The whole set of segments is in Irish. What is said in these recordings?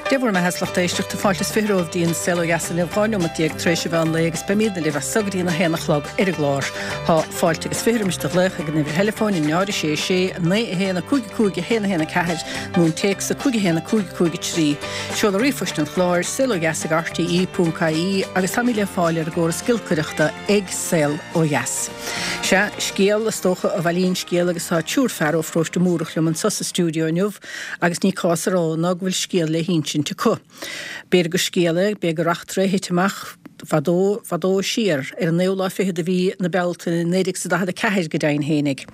Dia bhur mbeatha 's lucht éisteachta, fáilte is 20 romhaibh go dtí an Saol Ó Dheas inniu, 12 neomat tar éis an mheán lae agus beimídne libh as so go dtí an 1 a chlog ar an gclár. Tá fáilte agus 20 roimis do ghlaoch ag an uimhir theileafóin 0 6 6 9 1 5 5 1 1 4 nó an téacs 5 1 5 5 3. Seoladh ríomhphoist an chláir, saolodheas ag rte.ie agus táimid le fáil ar an gcóras giolcaireachta ag Saol Ó Dheas. Sea, scéal, is dócha, a bhailíonn scéal agus tá triúr fear ó Pharóiste Múrach liom anso sa stiúideo inniu agus ní cás a rá ná go bhfuil scéal le hinsint acu. B'fhéidir gur scéal é, b'fhéidir gur eachtra é a thit amach fadó, fadó siar, ar an naoú lá fichead de mhí na Bealtaine 1944 go deimhin fhéinig.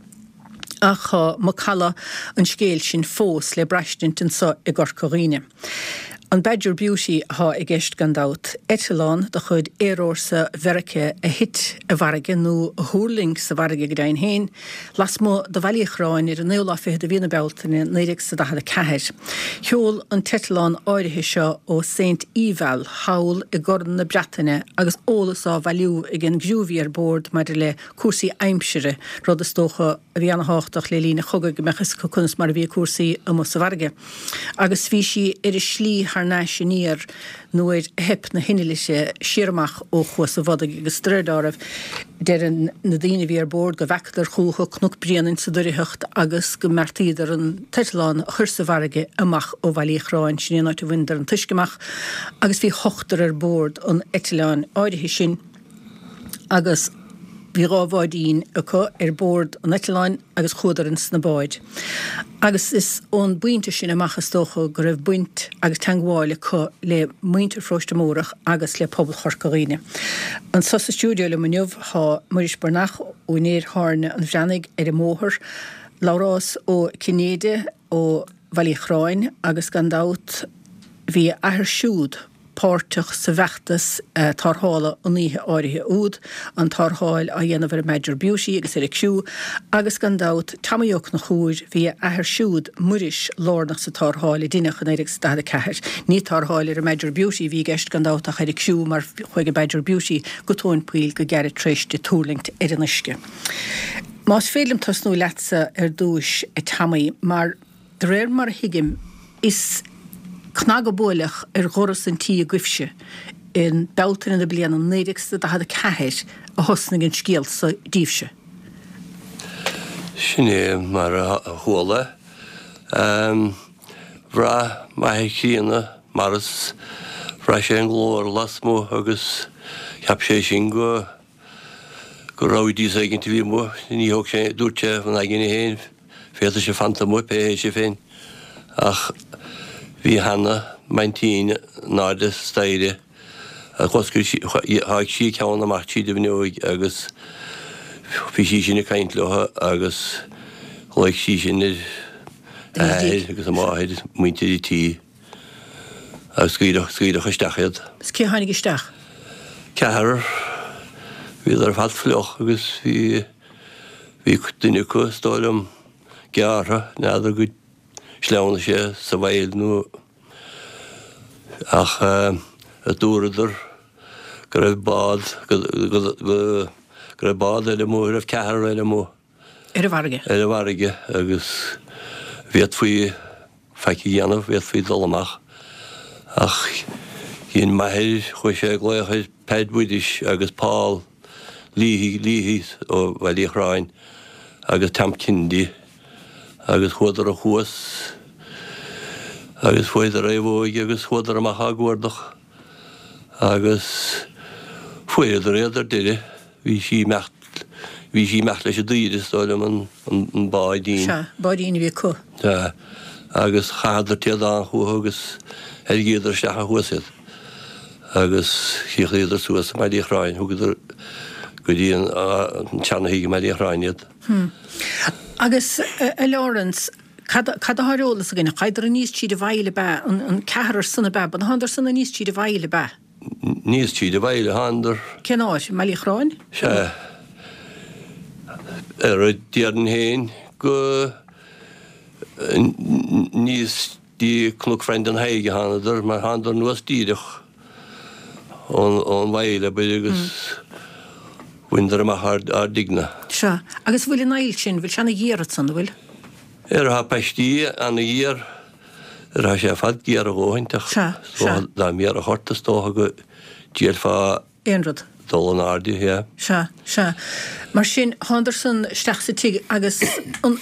Ach tá macalla an scéil sin fós le braistint anso i gCorca Dhuibhne. An Badger Beauty athá i gceist gan dabht, eitleán de chuid Aerfhórsa Mheiriceá a thit i bhfarraige, nó a thuirling sa bhfarraige go deimhin féin, lasmuigh de Bhaile Uí Chorráin ar an naoú lá fichead de mhí na Bealtaine 1944. Sheol an t-eitleán áirithe seo ó Saint Eval thall i gCorn na Breataine agus eolas á bhailiú ag an gcriú a bhí ar bord maidir le cúrsaí aimsire, rud is dócha a bhí ana-thábhachtach le linn an chogaidh go mbeadh fhios acu conas mar a bhí cúrsaí amuigh sa bhfarraige. Agus bhí sí ar a slí thar n-ais aniar nuair a theip na hinnill uirthi siar amach ó Chuas an Bhodaigh agus de réir dealraimh, deireann na daoine a bhí ar bord go bhfeacadar chúthu Cnoc Bréanainn sa doircheacht agus go mbeartaíodar an t-eitleán a chur sa bhfarraige amach ó Bhaile Uí Chorráin, sin é an áit a bhaineadar an t-uisce amach agus bhí ochtar ar bord an eitleáin áirithe sin. agus bhí dha bháidín acu ar bord an eitleáin agus chuadar ins na báid. Agus is ón bpointe sin amach is dócha go raibh baint agus teangmháil acu le muintir Pharóiste Mórdhach agus le pobal Chorca Dhuibhne. Anso sa stiúideo liom inniu tá Muiris Breathnach, úinéir Thábhairne an Bhreathnaigh ar an mbóthar, Labhrás Ó Cinnéide ó Bhaile Uí Chorráin agus gan dabht bhí a athair siúd, páirteach sa bhfeachtas tarrthála an oíche áirithe úd, an tarrtháil á dhéanamh ar an mBadger Beauty agus ar a criú, agus gan dabht, Tomaí Ó Conchúir, bhí a athair siúd, Muiris, lárnach sa tarrtháil a deineadh i 1944. Ní tarrtháil ar an mBadger Beauty a bhí i gceist, gan dabht, ach ar a criú, mar chuaigh an Badger Beauty go tóin poill go gairid tar éis di tuirlingt ar an uisce. Más féidir liom tosnú leatsa ar dtúis, a Tomaí, mar. De réir mar a thuigim, is cnag a buaileadh ar dhoras an tí agaibhse i mBealtaine na bliana 1944 a thosnaigh an scéal so daoibhse. Sin é mar a chuala. Bhraith m'athair críonna, Maurice, bhraith sé an glór lasmuigh agus cheap sé sin go. go raibh rowdies éigint a bhí amuigh. Ní thóg sé, dúirt sé ina aigne féin, féadfaidh sibh fanacht amuigh pé hé sibh féin. Ach bhí Hannah, m'aintín, in airde staighre, dh'oscail sí, sháigh sí a ceann amach tríd an bhfuinneoig agus bhí sí sin ag caint leo agus ghlaoigh sí sin ar a athair agus a máthair, muintir an tí. Agus scaoileadh, scaoileadh isteach iad. Is cé a tháinig isteach? Ceathrar. Bhíodar ar fad fliuch agus bhí, bhí duine acu, is dóigh liom, gearrtha, n'fheadar go sleamhnaigh sé sa bhfaill nó, ach dúradar go raibh bád, go, go, go, go raibh bád eile amuigh, go raibh ceathrar eile amuigh. Ar an bhfarraige. Ar an bhfarraige agus bhféadfaí faic a dhéanamh, bhféadfaí dul amach. Ach dhein m'athair, chuaigh sé ag glaoch ar Pheaid Mhuiris agus Paul Leahy, Leahy ó Bhaile Uí Chorráin agus Tom Kennedy agus chuadar thuas agus fuaireadar naomhóig agus chuadar amach á gcuardach agus fuaireadar iad ar deireadh. Bhí sí imeacht, bhí sí imeacht leis an dtaoide, is dóigh liom, an, an báidín. Sea, báidín a bhí acu. Sea. Agus chaitheadar téadán chucu agus theilgeadar isteach thuas iad. Agus chríochnaíodar suas i mBaile Uí Chorráin, thugadar go dtí an, an tseana-thigh i mBaile Uí Chorráin iad. Hm. Agus, a Laurence, cad, cad atá ar eolas againn? Thángadar aníos tríd an bhfaill ab ea, an, an ceathrar san ab ea, ba thángadar san aníos tríd an bhfaill ab ea? Aníos tríd an bhfaill a thángadar. Cén áit? I mBaile Uí Chorráin? Sea. Ar a déarfainn féin go aníos dtí Cnoc Bhrendan Thaidhg a thánadar, mar thánadar anuas díreach ón bhfaill, abair, agus bhaineadar amach ár dtigh-ne. Sea. Agus bhfuil an aill sin, bhfuil sé ana ghéar ansan, an bhfuil? Ar tá paistí ana ghéar. Raibh sé ar fad géar a dhóthaint ach is dócha dá mbéarfadh ort is dócha go dtríailfeá aon rud. dul in airde, yeah. Sea, sea. Mar sin, thándarsan isteach sa tigh agus an,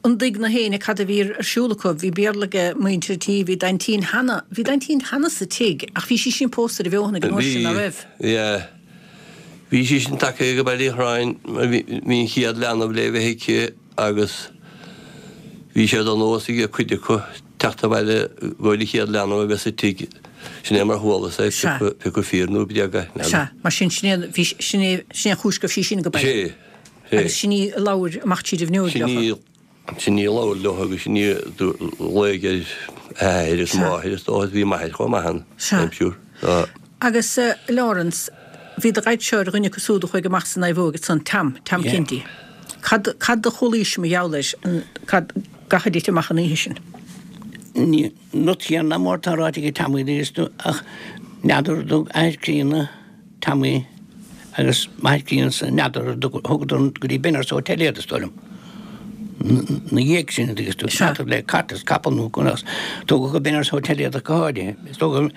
an dtuig na héinne cad a bhí ar siúl acu? Bhí Béarla ag muintir an tí, bhí d'aintín Hannah, bhí d'aintín Hannah sa tigh ach bhí sí sin pósta roimh Eoghan ag an uair sin, ná raibh? Bhí, yeah. Bhí sí sin tagtha go Baile Uí Chorráin, bhí an chéad leanbh le bheith aici agus bhí sé de nós ag cuid acu teacht abhaile go an chéad leanbh a bheith sa tigh. Sin é mar chualas é, pé acu fíor nó bréag é, n'fheadar. Sea, mar sin, sin é, bhí, sin é, sin é an chúis go raibh sí sin go baile. Sé, sé. Agus sin í a labhair amach tríd an bhfuinneoig Sin í, sin í a labhair leo agus sin í a ghlaoigh ar athair is máthair is dócha, bhí m'athair chomh maith ann, I'm sure. So. Agus Laurence, bhí do dhaid-se ar dhuine acu súd a chuaigh amach sa naomhóg ansan, Tom, Tom Kennedy. Cad, cad a chualaís mar gheall air, cad, gach a dtit amach an oíche sin? Ní, an rud céanna mar atá ráite ag Tommy is tú, ach n'fheadar an dtug athair críonna Tommy agus máthair críonna n'fheadar an dtug, thugadar go dtí Benners Hotel iad is dóigh liom. Na dhiaidh sin agus tú n'fheadar le cat is capall nó conas, tugadh go Benners Hotel iad ach go háirithe. Is dócha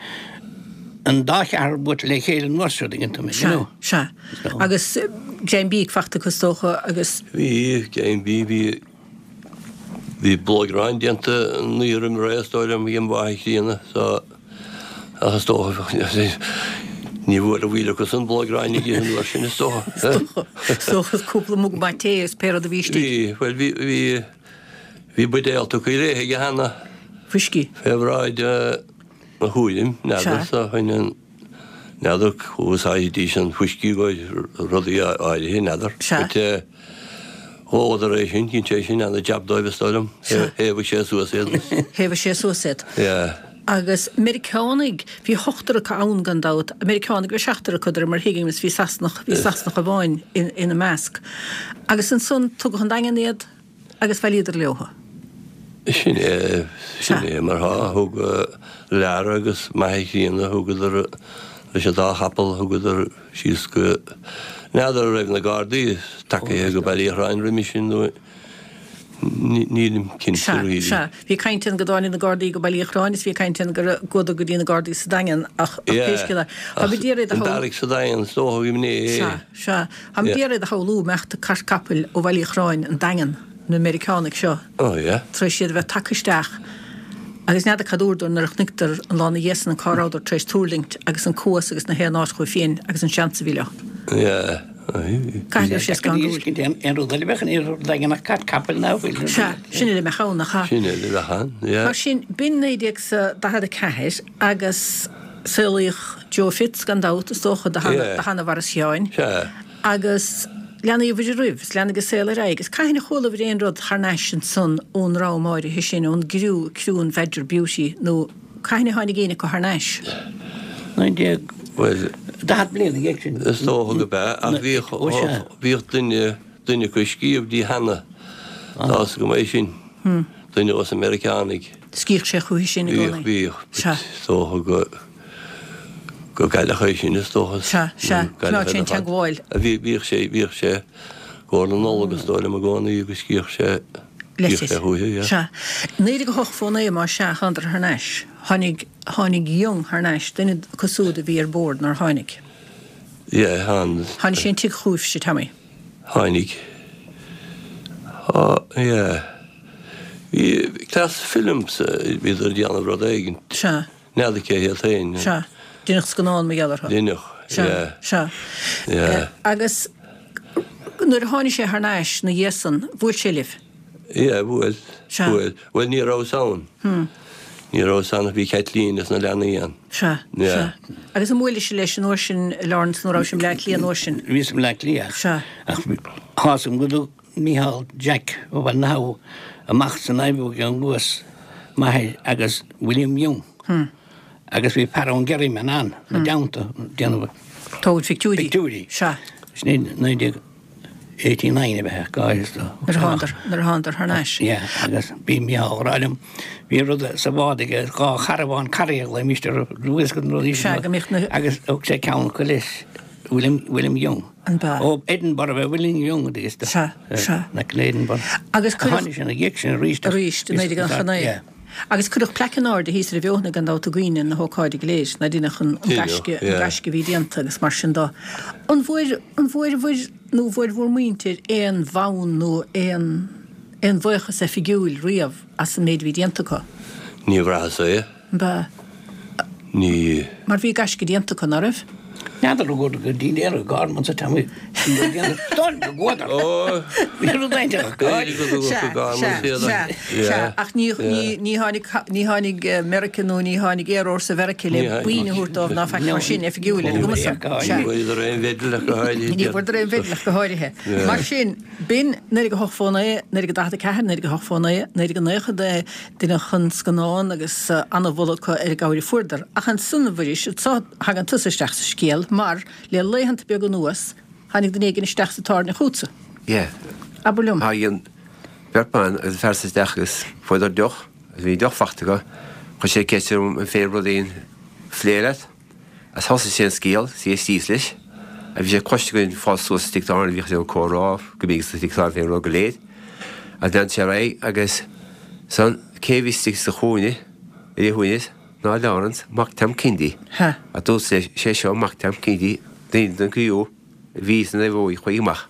an dá cheathrar buailte le chéile an uair seo, tuigeann tú mé, you know. Sea, sea. Agus greim bídh fachta acu is dócha agus. Bhí, greim bídh, bhí, bhí blóg aráin déanta an oíche roimh ré is dóigh liom ag an mháthair chríonna so ach is dócha ní bhfuair a bhfuil acu san blóg aráin ag ithe an uair sin is dócha. Is dócha cúpla mug maith tae is pé rud a bhí istigh. Bhí, bhuel bhí, bhí, bhí buidéal tugtha léi aige cheana. Fuiscí. Fé bhráid mo thuairim, n'fheadar so shoin an, n'fheadar úsáididís an fuiscí go rudaí áirithe, n'fheadar. Sea. But eh, dhóladar é sin, dhein sé sin ana jab dóibh is dóigh liom. Sea. Thaobhaigh sé suas iad. Thaobhaigh sé suas iad. Yeah. Agus Meiriceánaigh, bhí ochtar acu ann gan dabht, Meiriceánaigh, bhí seachtar acu de réir mar a thuigim is bhí Sasanach, bhí Sasanach amháin ina measc. Agus ansan tugadh 'on Daingean iad. Agus bhailíodar leothu. Sin é, sin é mar thá. Thug Lara agus m'athair chríonna, thugadar leis an dá chapall, thugadar síos go, n'fheadar an raibh na Gardaí tagaithe go Baile Uí Chorráin roimhe sin nó nílim cinnte Sea, really. sea. Bhí caint ann go dtáinig na Gardaí go Baile Uí Chorráin is bhí caint ann go gcuadar go dtí na Gardaí sa Daingean ach ach pé scéal é, tá mé d'iarraidh a shamhlú. sa Daingean, is dócha go mb'in é. Sea. Sea, táim d'iarraidh a shamhlú imeacht cairt capaill ó Bhaile Uí Chorráin, an Daingean, na Meiriceánaigh seo, Oh yeah. tar éis iad a bheith tagtha isteach agus n'fheadar cad dúradar nuair a chonaiceadar an lá 'na dhiaidh san cá rabhadar tar éis tuirlingt agus an cuas agus na haon áit chucu féin agus an seans a bhí leo. Yeah. Caithfidh go raibh sé scanrúil. Aon rud eile a bheadh in iarthar an Daingin ach cairt capaill ná fuil. Sea, sin uile a mbeadh ann, nach ea? Sin uile a bheadh ann, yeah. Mar sin, b'in 1944 agus. Saolaíodh Joe Fitz, gan dabht, is dócha, do sheanamhara Sheáin. Agus leanaíobhair oraibh, is leanaigh an saol ar aghaidh. Agus cathain a chualabhair aon rud thar n-ais ansan ón ndream áirithe sin, ón gcriú, criú an Bhadger Beauty, nó cathain a tháinig éinne acu thar n-ais? 19, bhuel, 40 bliain ina dhiaidh sin. Is dócha go b'ea, ach bhíodh, bhíodh duine, duine acu ag scríobh di cheana, tá fhios agam é sin, duine dos na Meiriceánaigh. Scríobhadh sé chúithi sin i gcónaí. Bhíodh, bhíodh. Sea. Is dócha go, go gcailleadh é sin, is dócha. Sea, sea. Choimeád sé an teagmháil. Bhí, bhíodh sé, bhíodh sé i gcomhair na Nollag, is dóigh liom i gcónaí agus scríobhadh sé, scríobhadh sé chúithi, yeah. Sea. 1908 fó naoi, más ea, thánadar thar n-ais. Tháinig, tháinig Young thar n-ais, duine acu súd a bhí ar bord nár tháinig. Yeah, tháinig. Tháinig sé an tigh chúibhse, Tommy. Tháinig. Tá, yeah. Bhí Class Films, bhíodar ag déanamh rud éigin. Sea. N'fheadar cé hiad féin. Sea. Deineadh scannán mar gheall orthu. Deineadh, yeah. Sea, sea. Yeah. Agus nuair a tháinig sé thar n-ais 'na dhiaidh san, bhuail sé libh? Yeah, bhuail. Sea. Bhuail. Bhuel, ní rabhas ann. Ní rabhas ann, bhí Caitlín is na leanaí ann. Sea, Yeah. sea. Agus an mbuailis leis an uair sin, Laurence, nó raibh sé i mBleá Cliath an uair sin? Bhíos i mBleá Cliath. Sea. Ach tá 'fhios agam go dtug Mícheál Jack ó Bhaile na hAbha amach sa naomhóg an Luas m'athair agus William Young. Agus bhí fear ón gCerryman ann ina dteannta ag déanamh. Tógaint pictiúirí. Pictiúirí. Sea. Sin 1989 a bheith go háirithe. Nuair a thánadar, nuair a thánadar thar n-ais. Yeah, agus bhí Mícheál ag rá liom, bhí rud sa bhád aige, dhá charbhán carry a ghlaoimíst orthu, bhfuil 'fhios agat na rudaí sin. Sea, go mbíodh na. Agus thug sé ceann acu leis. William, William Young. An b'ea? Ó Edinburgh ab ea William Young agus Sea, sea. Na Edinburgh. Agus cuireadh. Tháinig sé ina dhiaidh sin arís. Arís, i 1999. Yeah. Agus cuireadh plaic in airde thíos ar an bhFeothanaigh gan dabht i gcuimhne na hócáide go léir, ná deineadh an gaisce, an gaisce a bhí déanta agus mar sin do. An bhfuair, an bhfuair nó bhfuair bhur muintir aon bhonn nó aon, aon bhuíochas oifigiúil riamh as an méid a bhí déanta acu? Ní bhraitheas é. An b'ea? Ní. Mar bhí gaisce déanta acu, ná raibh? N'fheadar an gcuaradar go dtí an Aer Garman sa teanga go gcuadar. Bhí rud éigin acu. Sea, sea, sea, sea, ach ní, ní, ní tháinig, ní tháinig Meirice nó ní tháinig Aerfhórsa Mheirice le boinn a thabhairt dóibh ná faic mar sin, oifigiúil, ar an gcuma san. Sea. Ní bhfuaireadar aon mhedal ach go háirithe. Ní bhfuaireadar aon mhedal ach go háirithe. Mar sin, b'in 1908 fó 9, 1944, 1908 fó 9, 1999, Deineadh an scannán agus ana-mholadh acu ar an gcabhair a fuaireadar. Ach ansan, a Mhuiris, anso thagann tusa isteach sa scéal, mar le laethanta beaga anuas, tháinig duine éigin isteach sa tábhairne chugatsa. Yeah. Abair liom. Tháinig beirt ban agus fear san isteach agus fuaireadar deoch agus bhí deoch fachta acu. Chuir sé ceist orm an féidir rud éigin phlé leat. Agus thosaigh sé an scéal, is d'éistíos leis, agus bhí sé cloiste againn fás suas sa tigh tábhairne, bhíodh sé ag comhrá go mbíodh sa tigh tábhairne fén rud go léir. Agus lean sé ar aghaidh agus san, cé a bhí istigh sa chúinne, ar a shuaimhneas, ná Laurence, mac Tom Kennedy. Ha. Agus dúirt leis, sé seo mac Tom Kennedy, duine den chriú a bhí san Naomhóig chuaigh amach.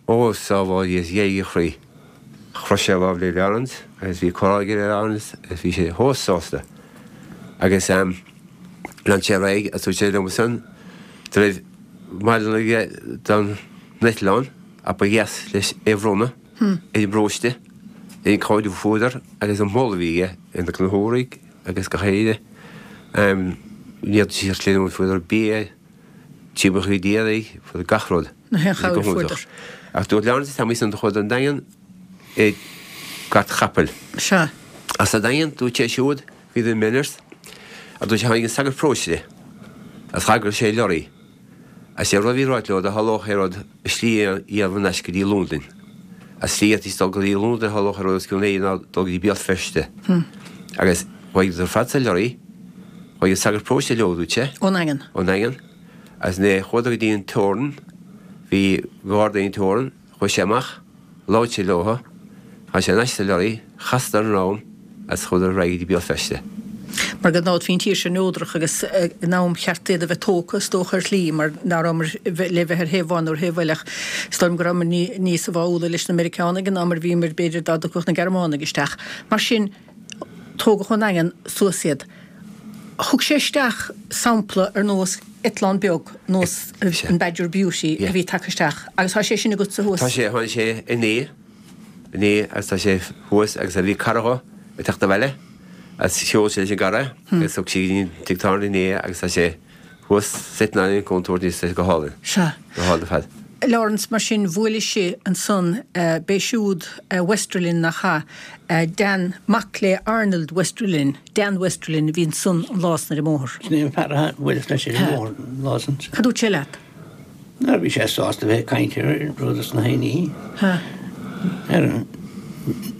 Ó, sábháil Dia is ghéag a chroí. Chroith sé a lámh le Laurence agus bhí comhrá aige le Laurence agus bhí sé chomh sásta. Agus lean sé ar aghaidh agus dúirt sé liom ansan go raibh model aige don eitleán ach ba dheas leis é a bhronnadh ar an bparóiste, ar an chabhair a fuaireadar agus an moladh a bhí aige ar na Conchúraigh agus gach éinne. Ní fhéadfadh sé creidiúint fuaireadar bia, Timpeall chuig d'iarraidh, fuaireadar gach rud. Na haon chabhair a fuaireadar. Ach dúirt Laurence Tommy san do chuadar 'on Daingean i gcairt chapaill. Sea. Ach sa Daingean, dúirt sé siúd, bhíodar i Mellors, ach dúirt sé tháinig an sagart paróiste agus thagair sé lorry. Agus sé an rud a bhí ráite leo dá tharlódh aon rud a slí a dhéanamh thar n-ais go dtí Londain. Agus slí a dhéanfaidís dul go dtí Londain a tharlódh aon rud os cionn éigin ná dul go dtí Béal Feirste. Agus chuaigh ar fad sa lorry. Chuaigh an sagart paróiste leo, dúirt sé. Ón nDaingean. Ón nDaingean. Agus nuair a chuadar go dtí an teorainn, bhí garda ag an teorainn, chuaigh sé amach, labhair sé leo, tháinig sé thar n-ais sa lorry, chasadar an am agus chuadar ar aghaidh go dtí Béal Feirste. Mar gan dabht bhí an tír seo neodrach agus in am cheart iad a bheith tógtha, is dócha, ar shlí, mar ná rabhamar le bheith ar thaobh amháin nó ar thaobh eile ach is dóigh liom go rabhamar níos báúla leis na Meiriceánaigh ná mar a bhíomar b'fhéidir dá dtiocfadh na Gearmánaigh isteach. Mar sin, Tógadh ón nDaingean suas iad. Thug sé isteach sampla ar nós eitleán beag, nós an Badger Beauty a bhí tagtha isteach agus tá sé sin agatsa thuas. Tá sé, tháinig sé inné, inné agus tá sé thuas agus bhí cara dho ag teacht abhaile agus sheol sé leis an gcara agus thug sé go dtí an tigh tábhairne inné agus tá sé thuas sitting ar an gcontúirt níos go hálainn. Sea. Go hálainn ar fad. Laurence, Mar sin, bhuailis ansan, b'é siúd Westerlin nach ea, Dan, mac le Arnold Westerlin, Dan Westerlin a bhí ansan an lá san ar an mbóthar. Sin é an fear a bhuaileas leis ar an mbóthar an lá san. Cad dúirt sé leat? Nuair a bhí sé sásta bheith ag caint ar rud is na haon Sea. Ar an,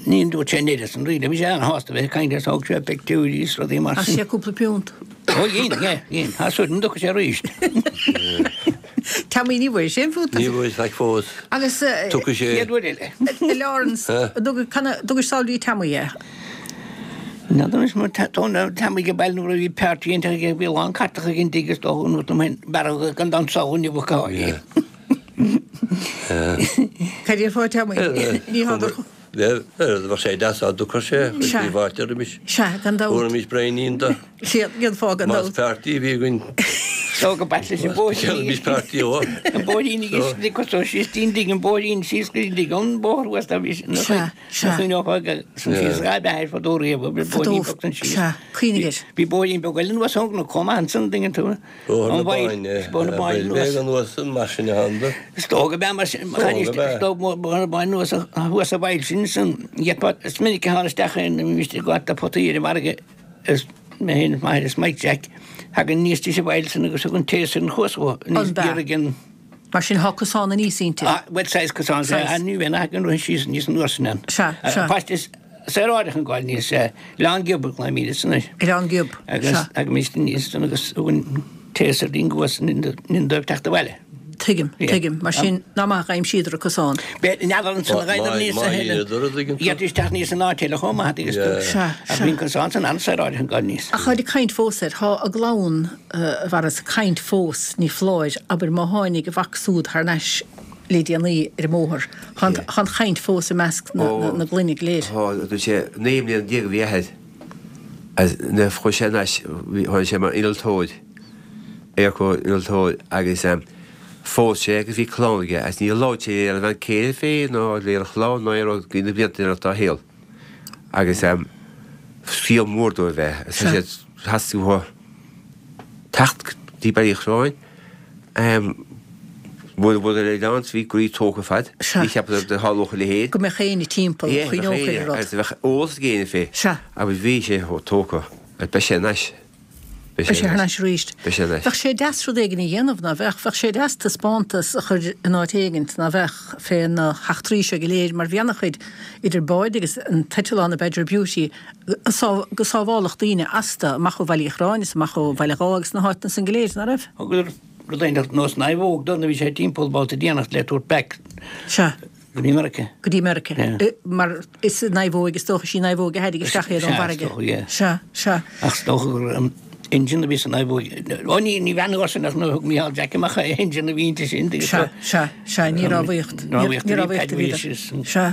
ní dúirt sé an oiread san really, bhí sé an-shásta bheith ag caint air, thóg sé pictiúirí is rudaí mar sin. Chaith sé cúpla piúnt. Ó dhein, yeah, dhein. Tá súil agam go dtiocfaidh sé arís. Tommy, ní bhfuair sé aon phúnt. Ní bhfuair faic fós. Agus Tiocfaidh sé. Chéad uair eile. A Laurence, dtugais sall go dtí Tommy é? N'fheadar anois mar tá Tommy ag baile nuair a bhí páirtí iontach aige, bhí a lán cartacha ag an dtigh is dócha an rud liom féin, b'fhearr gan dabht sall inniu a cáil. Cad é fá Tommy? Ní hádar. Bheadh sé deas dá dtiocfadh sé, chuirfí fáilte roimis. Sea, gan dabht. Thabharfaimis braoinín dó. Sea, dhéanfá, gan dabht. Más páirtí a bhí againn. Tó go baitle leis an bóithrín. Déanaimis páirtí ó. An bóithrín ag cosó síos dtí'n dtigh, an bóithrín síos go dtí an bóthar thuas dá bhí sin. Sea, sea. Chuimhneofá san síos dhá beatha fadó riamh, bhí bóithrín beag san síos. Sea, cuimhnigh air. Bhí bóithrín beag eile anuas ón gcnoc chomh maith ansan, dtuigeann tú. Bóthar na Báine, Bóthar na Báine anuas. B'é anuas mar sin a thána. Is dóigh go b'ea mar sin, is dóigh Bóthar na Báine anuas thuas sa bhfaill sin, san gheapa, is minic a thána isteach aon bhí ag gabháil do potaí ar an bhfarraige is mé féin is m'athair is Mike Jack, thagann aníos dtí sa bhfaill sin agus thug an téas ar an chuas dhó, aníos iarraidh an. Mar sin thá cosán aníos inti. Ah, bhuel saghas cosán, sea, ní bheinn ach an rith síos aníos anuas sin ann. Sea, sea. Páiste is saoráideach an gáil aníos, Oileán Giob a ghlaoimíd san air. Oileán Giob, sea. Agus thagaimíst aníos san agus thug an téas ar an gcuas linn dóibh teacht abhaile. Tuigim, tuigim. Mar sin, nach maith a d'aimsíodar an cosán. N'fheadar ansan a ghaibheadar níos a thuilleadh. Gheibhtí isteach níos an áit eile chomh maith agus tú. Sea, Ach sea. bhí an cosán san an-saoráideach ag dul níos. Ach táid ag caint fós air. Tá a gclann, a Mhaurice, ag caint fós, ní foláir, abair má tháinig a mhac súd thar n-ais le déanaí ar an mbóthar. Tá an, tá an chaint fós i measc na, na, na gclainne go léir. Tá, dúirt sé, 19 mbliana a bhí a athair agus nuair a chuaigh sé thar n-ais, bhí, tháinig sé mar innealtóir. Airport innealtóir agus phós sé agus bhí clann aige agus níor labhair sé lena bhean céile fé ná lena chlann ná aon rud go dtí na blianta deireanacha dá shaol agus scéal mór dóibh é agus tá siad theastaigh uathu teacht go dtí Baile Uí Chorráin mura bhfuil ar oileán bhí groí tógtha fad ní cheapadar go dtarlódh a leithéid. Go mbeadh éinne timpeall, chuimhneodh ar an rud. Agus bheadh eolas ag éinne fé agus bhí sé chomh tógtha agus beidh sé anois. Beidh sé thar n-ais arís. Beidh sé anois. Bheadh sé deas rud éigin a dhéanamh, ná bheadh? Bheadh sé deas taispeántas a chur in áit éigint, ná bheadh, fé na heachtraí seo go léir, mar bhí ana-chuid, idir báid agus an t-eitleán, an Badger Beauty, go sábháladh daoine astu, amach ó Bhaile Uí Chorráin is amach ó Bhaile Dháith agus na háiteanna san go léir, ná raibh? Thugadar rud éigin nós naomhóg dó nuair a bhí sé timpeall babhta déanach le tabhairt back. Sea. Go dtí Meiriceá. Go dtí Meiriceá. Mar is naomhóig, is dócha, is í naomhóg a thairrig isteach iad ón bhfarraige. Sea, is dócha, yeah. Sea, sea. Ach is dócha gur an engine a bhí sa naomhóg. Ó ní, ní bhean uair sin ach nuair a thug Mícheál Jack amach é, engine a bhí inti sin. Sea, sea, sea, ní rámhaíocht. Ní rámhaíocht a bhí ann. Sea.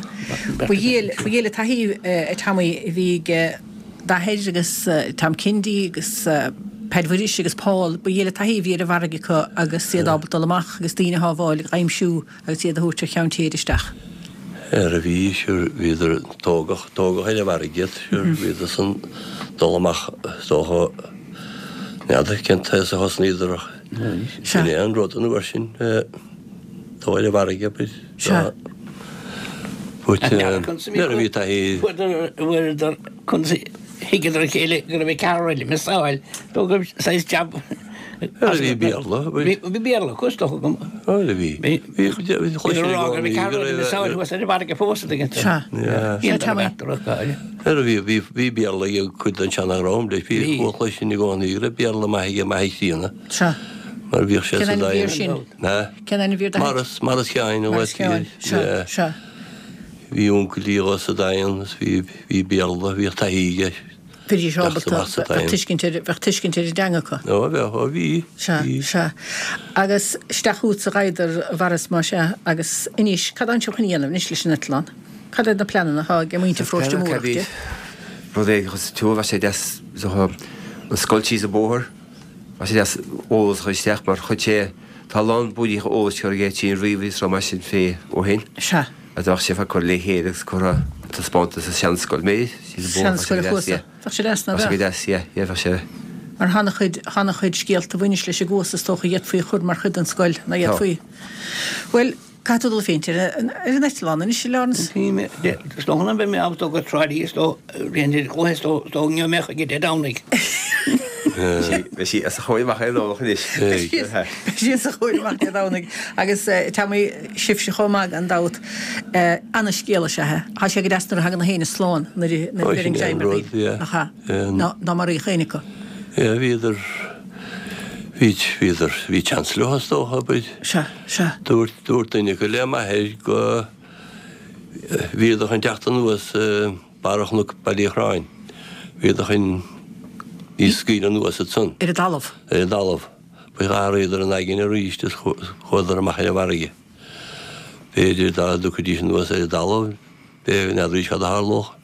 Ba dhiail, ba dhiail an taithí a Tommy a bhí ag d'athair agus Tom Kennedy agus Peaid Mhuiris agus Paul, ba dhiail an taithí a bhí ar an bhfarraige acu agus iad ábalta dul amach agus daoine a shábháil, a aimsiú. agus iad a thabhairt ar cheann tíre isteach. Ar a bhí, sure, bhíodar, tógadh, tógadh ar an bhfarraige iad, sure, bhíodar san dul amach, is dócha, n'fheadar cén t-aos a thosnaíodar ach sin é an rud an uair sin, dul ar an bhfarraige, but, Sea. but, nuair a bhí taithí. Fuaireadar, thuigeadar a chéile go raibh an ceathrar eile missáil, go raibh saghas jab Bhuel, bhí Béarla. Bhí Béarla acu, is dócha go. Bhuel, bhí. Bhí, bhí, chuir sé rá go raibh ceathrar eile missáil thuas ar an bhfarraige fós, a dtuigeann tú. Sea. Sea, Tommy. Bhuel, bhí, bhí, bhí Béarla ag cuid den seana-dhream, leis. Bhí, chuala sinn i gcónaí go raibh Béarla maith aige m'athair chríonna. Sea. Mar bhíodh sé Cén sa ainm a bhí air Daingean. sin? Ha? Cén ainm a bhí ar d'athair? Maurice, Maurice Sheáin, an Maurice Sheáin, sea, sea. Bhí uncail dhó sa Daingean agus bhí, bhí Béarla, bhíodh taithí aige. Bhídís ábalta, bheadh tuiscint ar, bheadh tuiscint ar an dteanga acu. Ó, bheadh, ó bhí, Sea, bhí. sea. Agus isteach chugatsa a ghabhadar, a Mhaurice, más ea, agus anois, cad atánn sibh chun a dhéanamh anois leis an eitleán? Cad iad na pleananna atá ag muintir Pharóiste Mór de? Rud éigin chun sa tsiúl, bheadh sé deas, is dócha, an scoil síos an bóthar, bheadh sé deas eolas a chur isteach mar chuir sé, tá a lán búirthíocha eolais curtha aige trín ríomhaire is rud mar sin fé ó shin. Sea. A bheadh sé fá cur le chéile agus curtha taispeántas sa seanscoil mé Seanscoil an Chuasa. Bheadh sé deas, ná beadh? Bheadh sé deas, yeah, yeah, bheadh sé. Mar tá ana-chuid, tá ana-chuid scéalta a bhaineas leis an gCuas is dócha a d'fhéadfaí a chur mar chuid den scoil, ná d'fhéadfaí? Bhuel, caithfidh tú dul féachaint ar an, ar an eitleán anois, a Laurence. Bhí mé, is dócha nach mbeidh mé ábalta go Trá Lí is dóigh, rian ar chluiche is dóigh go mbeadh ag Dé Domhnaigh. Beidh sí os a chomhair amach ar an Domhnach anois. Beidh sí os a chomhair amach Dé Domhnaigh. Agus Tommy, sibhse chomh maith gan dabht. Ana-scéal is ea é. Tá sé go deas nuair a thagann na héinne slán nuair a bheireann greim ar dhaoine. Nach ea? Ná maraíodh éinne acu. Yeah, bhíodar, bhí, bhíodar, bhí chance leo is dócha, but Sea, sea. dúirt, dúirt duine acu le m'athair go, bhíodar chun teacht anuas, Barra Chnoc Baile Uí Chorráin. Bhíodar chun í scaoileadh anuas ansan. Ar an dtalamh. Ar an dtalamh. But d'athraíodar a n-aigne arís is chuadar amach ar an bhfarraige. B'fhéidir dá dtiocfaidís anuas ar an dtalamh, b'fhéidir, n'fheadaraís cad a tharlódh.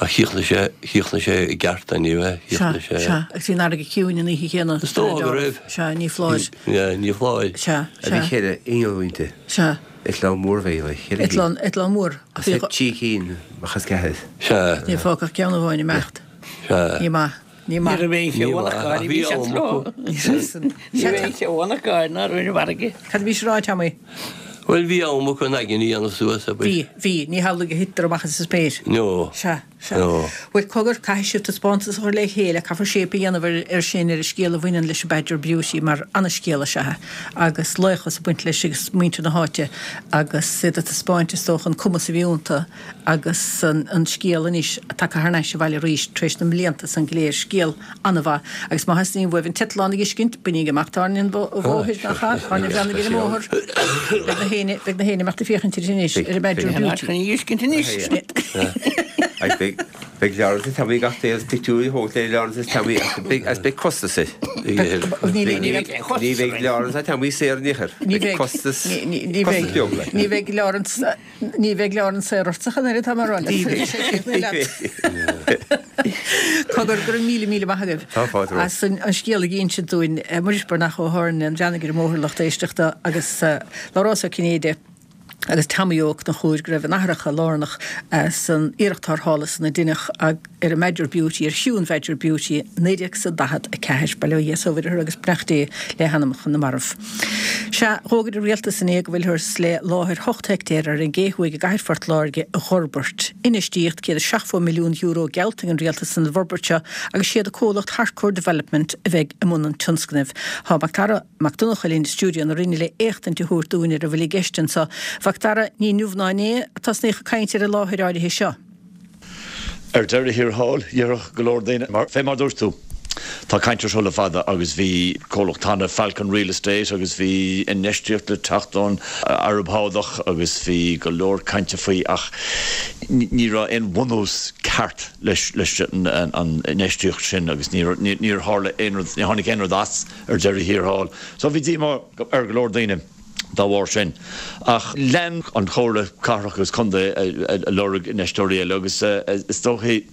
Ach chríochnaigh sé, chríochnaigh sé i gceart anyway, Sea, chríochnaigh sé. sea. Agus bhí an fharraige ciúin an oíche chéanna. Is dócha go raibh. Sea, ní foláir. Yeah, ní foláir. Sea, A bhí sea. cheithre inneall inti. Sea. Eitleán mór a bhí ann, cheithre cinn. Eitleán, eitleán mór. Ach theip trí cinn amach as ceathair. Sea. Níor fágadh ach ceann amháin imeacht. Sea. Ní maith. Ní maith. Ní raibh aon cheo acu, Ach bhí am acu. Ní raibh aon cheo acu ná raibh ar an bhfarraige. Cad a bhís a rá, Tommy? Bhuel, bhí am acu a n-aigne a dhéanamh suas, abair. Bhí, bhí. Ní hamhlaidh a thitear amach as an spéir. No. Sea. Sea. Bhuel, cogar, caithfidh sibh taispeántas a chur le chéile, caithfear séip a dhéanamh air sin, ar an scéal a bhaineann leis an Badger Beauty, mar ana-scéal is ea é, agus laochas ag baint leis agus muintir na háite agus iad ag taispeáint, is dócha, an cumas a bhí iontu agus an scéal anois tagtha thar n-ais abhaile arís tar éis na mblianta san go léir. Scéal an-mhaith. Agus má theastaíonn uaibh an t-eitleán a dh'fheiscint, bainíg amach tairne an bhóthair, nach ea? Tairne Bhreathnaigh ar an mbóthar. Beidh na héinne, beidh na héinne imeacht ag féachaint air anois, ar an Badger Beauty. Chun a dh'fheiscint anois. Beidh, beidh Laurence is Tommy gach taobh pictiúirí a thógaint le Laurence is Tommy ach beidh, agus beidh costas air. Ní bheidh, ní bheidh Laurence ná Tommy saor in aon chor. Ní Beidh costas, ní costas bheidh, beag like. ní bheidh Laurence, Ní bheidh Laurence saor ortsa ach an oiread, tá mé ag rá leat. Cogar, go raibh míle míle maith agaibh Tá fáilte romhat. as an scéal a dh'inse dúinn. Muiris Breathnach ó Tháirne an Bhreathnaigh ar an mbóthar lucht éisteachta agus Labhrás Ó Cinnéide agus Tommy Ó Conchúir go raibh a n-aithreacha lárnach san iarracht tarrthála san a deineadh ar an mBadger Beauty, ar chiú an Bhadger Beauty, 1944. Bail ó Dhia is ó Mhuire orthu agus beannacht Dé le hanamacha na marbh. Sea, dh'fhógair an Rialtas inné go bhfuilthear le láthair 8 heictéar ar an gCé Thuaidh i gcathair Phort Láirge a dh'fhorbairt. Infheistíocht €170 milliún geallta ag an Rialtas san bhforbairt seo agus siad an comhlacht Harcourt Development a bheidh i mbun an tionscnaimh. Tá Macdara Mac Donncha linn i stiúideo na Rinne le éachtaint a thabhairt dúinn ar a bhfuil i gceist anso. Mhacdara, ní inniu ná inné a tosnaíodh ag caint ar an láthair áirithe seo. Ar deireadh thiar thall, déarfadh go leor daoine, mar fé mar dúirt tú, tá caint ar seo le fada agus bhí comhlacht cheana, Falcon Real Estate, agus bhí infheistíocht le teacht ón Araib Shádach agus bhí go leor cainte faoi ach ní raibh aon bhunús ceart leis leis an infheistíocht sin agus níor tharla aon rud, níor tháinig aon rud as ar deireadh thiar thall. So bhí díomá ar go leor daoine. dá bharr sin. Ach lean an Chomhairle Cathrach agus Contae ag lorg infheisteoirí eile agus is dóichí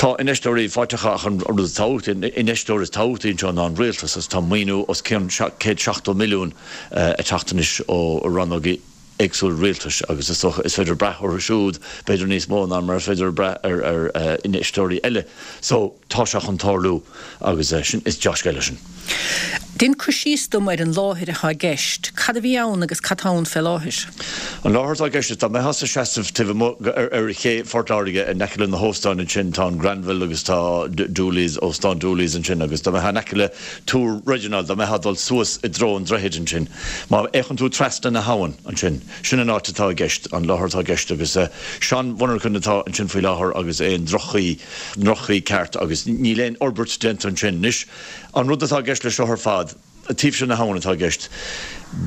tá infheisteoirí faighte acu ach an rud is tábhachtaí, an infheisteoir is tábhachtaí anseo ná an rialtas agus tá maoiniú os cionn 170 milliún ag teacht anois ó rannógaí éagsúla rialtais agus is dócha is féidir brath orthu siúd b'fhéidir níos mó ná mar is féidir brath ar infheisteoirí eile. So. Tá sé chun tarlú agus sin, is dea-scéal é sin. Dein cur síos dom ar an láthair atá i gceist. Cad a bhí ann agus cad tá ann fé láthair? An láthair atá i gceist is dá mbeitheá sa seasamh taobh amuigh ar ché Phort Láirge in aice le na hóstáin ansin, tá an Granville agus tá Dooley's, Óstán Dooley's ansin agus dá mbeitheá in aice le Túr Reginald, dá mbeitheá ag dul suas i dtreo an droichid ansin, má fhéachann tú trasna na habhann ansin, sin an áit atá i gceist, an láthair atá i gceist agus seanmhonarchain atá ansin faoi láthair agus é i ndroch-chaoi. ndroch-chaoi ceart agus níl aon fhorbairt déanta ansin. Anois, an rud atá i gceist leis seo ar fad, taobh seo na habhann atá i gceist,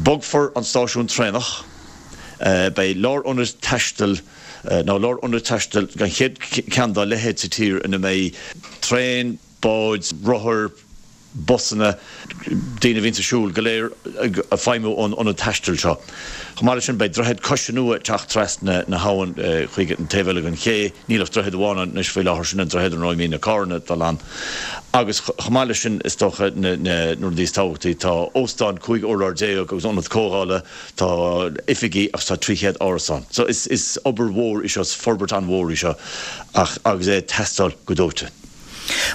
bogfar an stáisiún traenach, beidh lárionad taistil, nó lárionad taistil, an chéad cheann dá leithéid sa tír ina mbeidh traein, báid, rothair, busanna, daoine a bhíonns ag siúl, go léir ag feidhmiú ón ionad taistil seo. Chomh maith leis sin, beidh droichead coise nua ag teacht trasna na habhann chuig an taobh eile den ché. Níl ach droichead amháin ann anois faoi láthair, sin an droichead ina mbíonn na carranna ag dul ann. Agus chomh maith leis sin, is dócha, na rudaí is tábhachtaí, tá óstán 15 urlár agus ionad comhdhála, tá oifigí agus tá 300 árasán. So is obair mhór í seo, is forbairt an-mhór í seo ach agus é ag teastáil go dóite.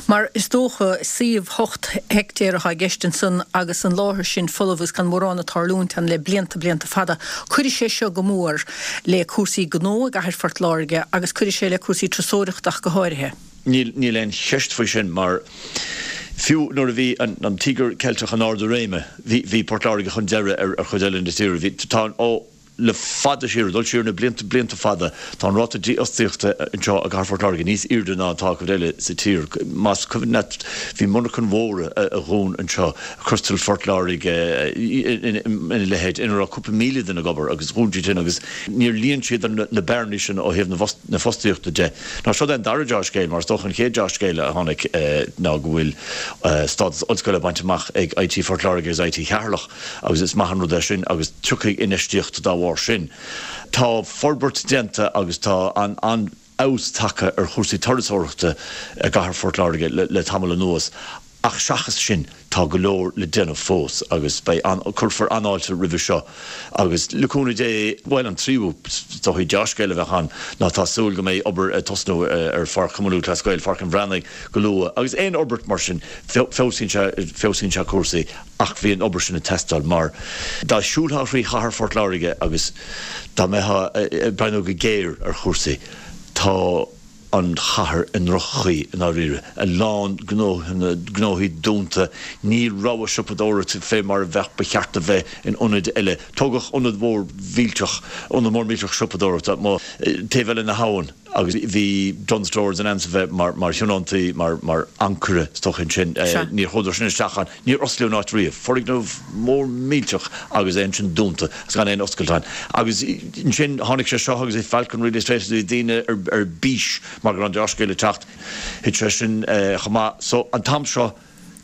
Mar is dócha, suíomh 8 heictéar atá i gceist ansan agus an láthair sin folamh agus gan mórán ag tarlúint ann le blianta, blianta fada. Cuirfidh sé seo go mór le cúrsaí gnó i gcathair Phort Láirge agus cuirfidh sé le cúrsaí turasóireachta ach go háirithe. Níl, níl aon cheist faoi sin mar fiú nuair a bhí an Tíogar Ceilteach in ard a réime, bhí, bhí Port Láirge chun deiridh ar chuid eile na tíre. Bhí, tá an, ó, Le fada siar, ag dul siar na blianta, blianta fada, tá an ráta dífhostaíochta anseo i gcathair Phort Láirge níos airde ná atá cuid eile sa tír. Más cuimhin leat, bhí monarchain mhóra a dhún anseo, Crystal Phort Láirge, ina leithéid, ina raibh cúpla 1,000 duine ag obair agus dhún siad sin agus níor líon siad na bearnaí sin ó thaobh na fostaíochta de. Now seo é an dara dea-scéal, mar is dócha an chéad dea-scéal a tháinig ná go bhfuil stádas ollscoile bainte amach ag IT Phort Láirge agus IT Cheatharlach. agus is maith an rud é sin agus tiocfaidh infheistíocht dá bharr sin. Tá forbairt déanta agus tá an-fheabhas tagtha ar chúrsaí turasóireachta i gcathair Phort Láirge le tamall anuas ach seachas sin tá go leor le déanamh fós agus beidh an, cuirfear an-fháilte roimhe seo agus le cúnamh Dé, bhuel an tríú is dóichí dea-scéal a bheadh ann ná tá súil go mbeidh obair ag tosnú ar Pháirc Chumann Lúthchleas Gael, Pháirc an Bhreathnaigh go luath agus aon fhorbairt mar sin feabhsaíonn sé, feabhsaíonn sé cúrsaí. Ach bhí an obair sin ag teastáil mar dá siúlfá thrí chathair Phort Láirge agus dá mbeifeá ag breathnú go géar ar chúrsaí, tá. an chathair i ndroch-chaoi i ndáiríre. A lán gnóthanna, gnóthaí dúnta, níl rogha siopadóireachta fé mar a bheadh, ba cheart a bheith in ionaid eile. Tógadh ionad mhór mhillteach, ionad mór millteach siopadóireachta amuigh taobh eile na habhann agus bhí Dunnes Stores in ainm is a bheith mar, mar thionóntaí, mar, mar ancaire is dócha ansin. Níor chuadar sin isteach ann. Níor osclaíodh an áit riamh. Foirgneamh mór millteach agus é ansin dúnta agus gan aon oscailt ann. Agus ansin tháinig sé seo agus bhí Falcon Real Estate agus bhí daoine ar bís mar go raibh an dea-scéal ag teacht. Thit sé sin chomh maith. So an t-am seo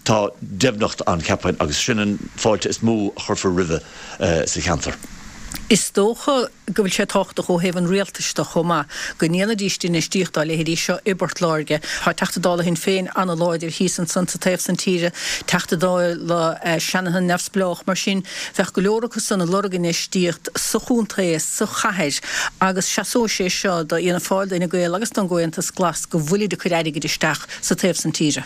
tá deimhneacht ann cheapfainn agus sin an fáilte is mó a chuirfear roimhe sa cheantar. Is dócha go bhfuil sé tábhachtach ó thaobh an rialtais de chomh maith go ndéanfaidís infheistíocht dá leithéidí seo i bPort Láirge. Tá Teachta Dála Shinn Féin an-láidir thíos ansan sa taobh san tíre, Teachta Dála Shanahan neamhspleách, mar sin bheadh go leor acu san ag lorg infheistíocht sa chontae, sa chathair agus seasóidh sé seo do Fhianna Fáil, d'Fhine Gael agus don gComhaontas Glas go bhfuilid ag cur airgid isteach sa taobh san tíre.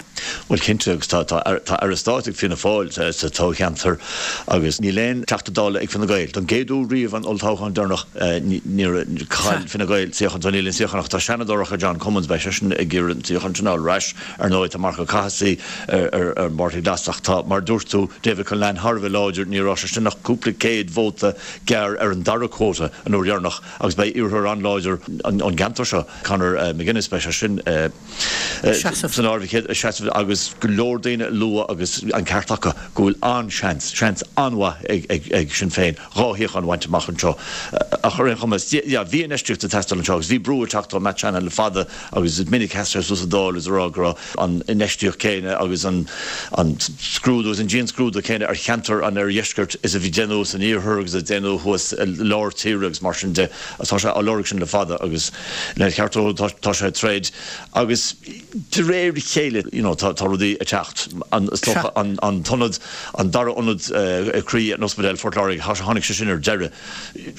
Bhuel cinnte, agus tá tá Aire Stáit ag Fianna Fáil sa toghcheantar agus níl aon Teachta Dála ag Fine Gael. Don gcéad uair riamh an olltoghchán deireanach níor chaill Fine Gael suíochán, so níl aon suíochán acu. Tá Seanadóir acu, John Cummins, beidh seisean ag iarraidh an suíochán sin a fháil ar ais. Ar ndóigh tá Marc Ó Cathasaigh ar an bPáirtí Glas ach tá, mar a dúirt tú, David Cullinane thar a bheith láidir, ní raibh seisean ach cúpla céad vóta gearr ar an dara quota an uair dheireanach agus beidh iarrthóir an-láidir ón gceantar seo, Conor McGuinness, beidh sé sin. san áireamh seasamh agus go leor daoine ag lua agus an ceart acu go bhfuil an-seans, seans an-mhaith ag Sinn Féin 2 shuíochán a bhaint amach anseo. Ach ar aon chuma, yeah, bhí infheistíocht ag teastáil anseo agus bhí brú ag teacht ó Matt Shanahan le fada agus is minic a sheas sé suas sa Dáil is ag rá go raibh an infheistíocht céanna agus an scrúdú agus an dianscrúdú céanna ar cheantar an oirdheiscirt is a bhí déanamh san iarthar agus a déanamh thuas i lár tíre agus mar sin de. Tá sé á lorg sin le fada agus lena cheart dó tá sé ag troid agus de réir a chéile you know tá rudaí ag teacht. An is dócha an an t-ionad an dara ionad croí in Ospidéal Phort Láirge tháinig sé sin ar deireadh.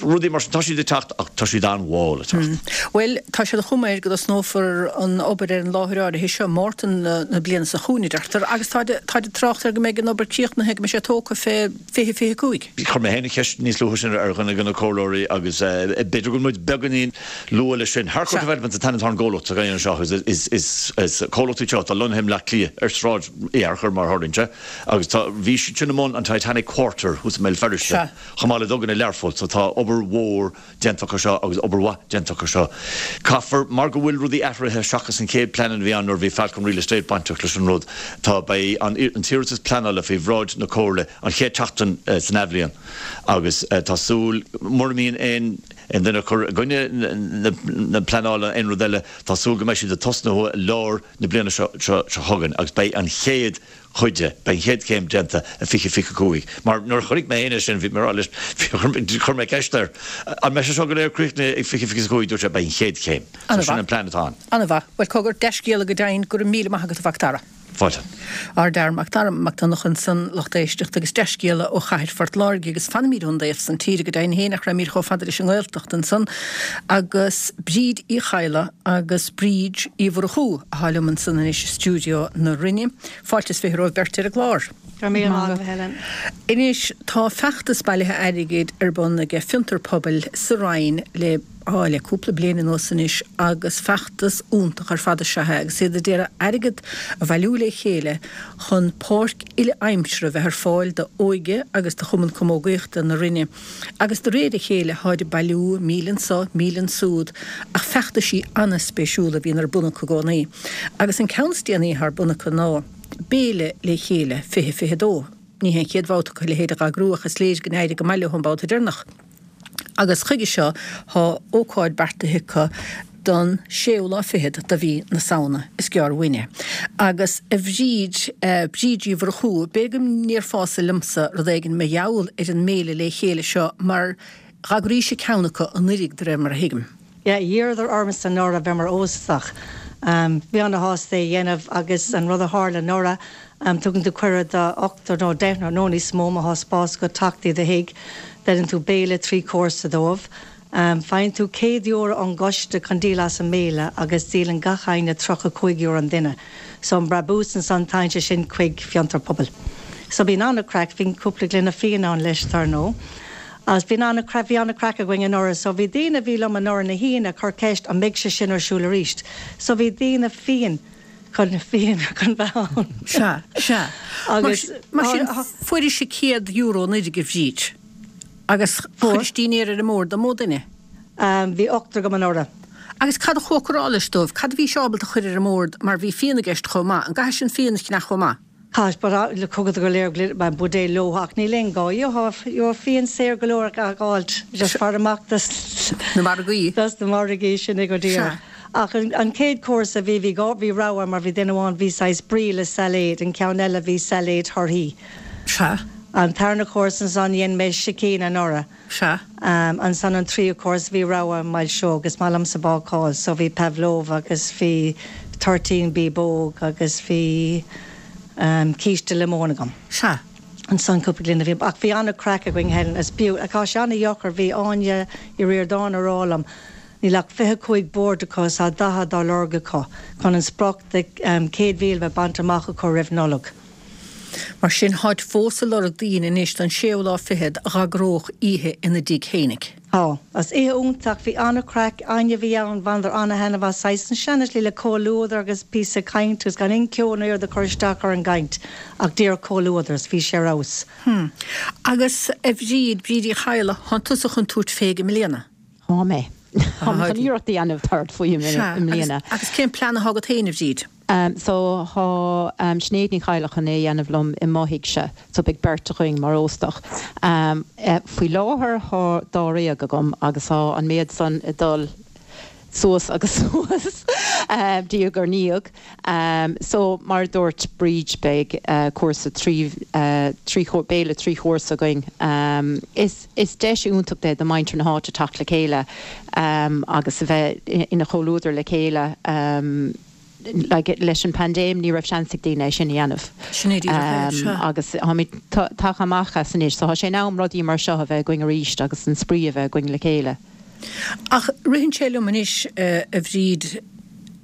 Rudaí mar sin tá siad ag teacht ach tá siad an-mhall ag teacht. Bhuel tá sé de chuma air go dtosnófar an obair ar an láthair áirithe seo Márta na bliana seo chugainn a deirtear agus táid ag trácht air go mbeidh an obair críochnaithe go mbeidh sé tógtha fé 2025. Chuir mé féin an cheist níos luaithe sin ar dhuine de na comhairleoirí agus b'fhéidir go bhfuil muid beagáinín luath leis sin. Harcourt Developments an t-ainm atá ar an gcomhlacht atá anseo agus is comhlacht iad seo atá lonnaithe i mBleá Cliath ar Sráid Uí Fhearchair mar a tharlaíonn sé agus tá bhí siad sin i mbun an Titanic Quarter thuas i mBéal Feirste chomh maith le duganna i Learpholl so tá obair mhór déanta acu seo agus obair mhaith déanta acu seo. Caithfear, mar go bhfuil rudaí athraithe seachas an chéad plean a bhí ann nuair a bhí Falcon Real Estate bainteach leis an rud, tá, beidh an t-iarratas pleanála faoi bhráid na Comhairle an chéad tseachtain san athbhliain agus tá súil, mura mbíonn aon duine ag cur i gcoinne na pleanála aon rud eile, tá súil go mbeidh siad ag tosnú i lár na bliana seo chugainn agus beidh an chéad chuid de. Beidh an chéad chéim déanta i 2025. Mar nuair a chonaic mé féin é sin, bhí mé ag rá leis, chuir mé ceist air, an mbeidh sé seo go léir críochnaithe ag 2025? Dúirt sé, beidh an chéad chéim. So sin an plean atá ann. An-mhaith. Bhuel, cogar, dea-scéala go deimhin. Go raibh míle maith agat, a Mhac Dara. Fáilte. Ardfhear Mac Dara Mac Donncha ansan, lucht éisteachta agus dea-scéala ó chathair Phort Láirge agus fanaimid ón dtaobh san tíre go deimhin féin ach raghaimid chomh fada leis an nGaeltacht ansan agus Bríd Uí Chadhla agus Bríd Uí Mhurchú atá liom ansan anois i stiúideo na Rinne. Fáilte is 20 romhaibh beirt ar an gclár. Go raibh míle maith agat, a Helen. Anois, tá feachtas bailithe airgid ar bun aige Fiontar Pobail sa Rinn le, á, le cúpla bliain anuas anois agus feachtas iontach ar fad is ea é agus iad ag iarraidh airgead a bhailiú le chéile chun páirc uile-aimsire a bheith ar fáil d'Óige agus do Chumann Camógaíochta na Rinne. Agus de réir a chéile tháid ag bailiú, 1,000 anso, 1,000 ansúd, ach feachtaisí ana-spéisiúla a bhíonn ar bun acu i gcónaí. Agus an ceann is déanaí atá ar bun acu ná, Béile le Chéile 2022. Ní hé an chéad bhabhta acu a leithéid a dh'eagrú ach is léir go n-éirigh go maith leo an babhta deireanach. Agus chuige seo tá ócáid beartaithe acu don séú lá fichead de mhí na Samhna. Is gearr uainn é. Agus a Bhríd, Bríd Uí Mhurchú, b'fhéidir go ndéarfása liomsa rud éigin mar gheall ar an mBéile le Chéile seo mar dh'eagraís-se ceann acu anuiridh de réir mar a thuigim. Yeah, d'iarradar ormsa anuraidh bheith mar óstach. Bhí ana-shásta é a dhéanamh agus an rud a tharla anuraidh, tugann tú cuireadh do ochtar nó deichniúr nó níos mó má thá spás agat teacht i do thigh, deineann tú béile 3 cúrsa dóibh. Faigheann tú €100 ón gcoiste chun díol as an mbéile agus díolann gach éinne €35 an duine. So an brabús ansan téann sé sin chuig Fiontar Pobail. So bíonn an-chraic, bíonn cúpla gloine fíon ann leis dar ndóigh. Agus bhí an-chraic, bhí an-chraic againn anuraidh so bhí daoine a bhí liom anuraidh na hAoine ag cur ceist an mbeidh sé sin ar siúl arís. So bhí daoine fiáin chun, fiáin chun bheith ann. Sea, sea. Agus Mar sin, fuairis €100 an uair, a Bhríd, agus chuiris dinnéar ar an mbord don mó duine? Bhí ochtar agam anuraidh. Agus cad a chócaráilis dóibh? Cad a bhís ábalta a chur ar an mbord mar bhí fíon i gceist chomh maith? An gcaithfidh an fíon a cheannach chomh maith? Caithfidh, but le thugadar go léir buidéal leo ach níl aon gá. Gheobhaidh fíon saor go leor a fháilt, just faire amach dos na margaí. Dos na margaí, sin é go díreach. Ach an chéad chúrsa bhí, bhí dhá, bhí rogha mar bhí duine amháin, bhí saghas brie le sailéad, an ceann eile bhí sailéad thorthaí. Sea. An tarna chúrsa ansan dhein mé sicín anuraidh. Sea. Ansan an tríú cúrsa bhí rogha milseog, is maith liomsa bácáil so bhí pavlova agus bhí toirtín bíobóg agus bhí císte liomóin agam. Sea. Ansan cúpla gloine fíon ach bhí an-craic againn Helen is b'fhiú, tá sé an-dheacair, bhí Áine Uí Ríordáin a rá liom níl ach 25 bord acu is tá 40 á lorg acu chun an sprioc de 100,000 a bheith bainte amach acu roimh Nollaig. Mar sin, tháid fós ag lorg daoine anois don séú lá fichead a dh'eagródh oíche ina dtigh fhéinig. Tá. Is oíche iontach, bhí an-chraic, éinne a bhí ann, bhaineadar an-thaitneamh as, saghas an seana-shlí le comhluadar agus píosa caint agus gan aon ceol nó aon rud ag cur isteach ar an gcaint ach díreach comhluadar is bhí sé ar fheabhas. Hm. Agus a Bhríd, Bríd Uí Chadhla, thánn tusa chun tabhairt féig i mbliana? Tá mé. Tá mé chun iarracht a dhéanamh tabhairt faoi i mbliana. Agus cén plean athá agat féin, a Bhríd? So thá Sinéad Ní Chadhla chun é a dhéanamh liom i mo thighse, so beidh beirt againn mar óstach. Faoi láthair thá dáréag agam agus thá an méad san ag dul suas agus suas diaidh ar ndiaidh. So mar a dúirt Bríd beidh cúrsa trí, trí, béile trí chúrsa againn. Is. Is deis iontach é do mhuintir na háite teacht le chéile agus a bheith ina chomhluadar le chéile. Like leis an paindéim ní raibh seans ag daoine é sin a dhéanamh. Sin é díreach é, sea. Agus táimid tagtha amach as anois so tá sé in am rudaí mar seo a bheith againn arís agus an spraoi a bheith againn le chéile. Ach ritheann sé liom anois, a Bhríd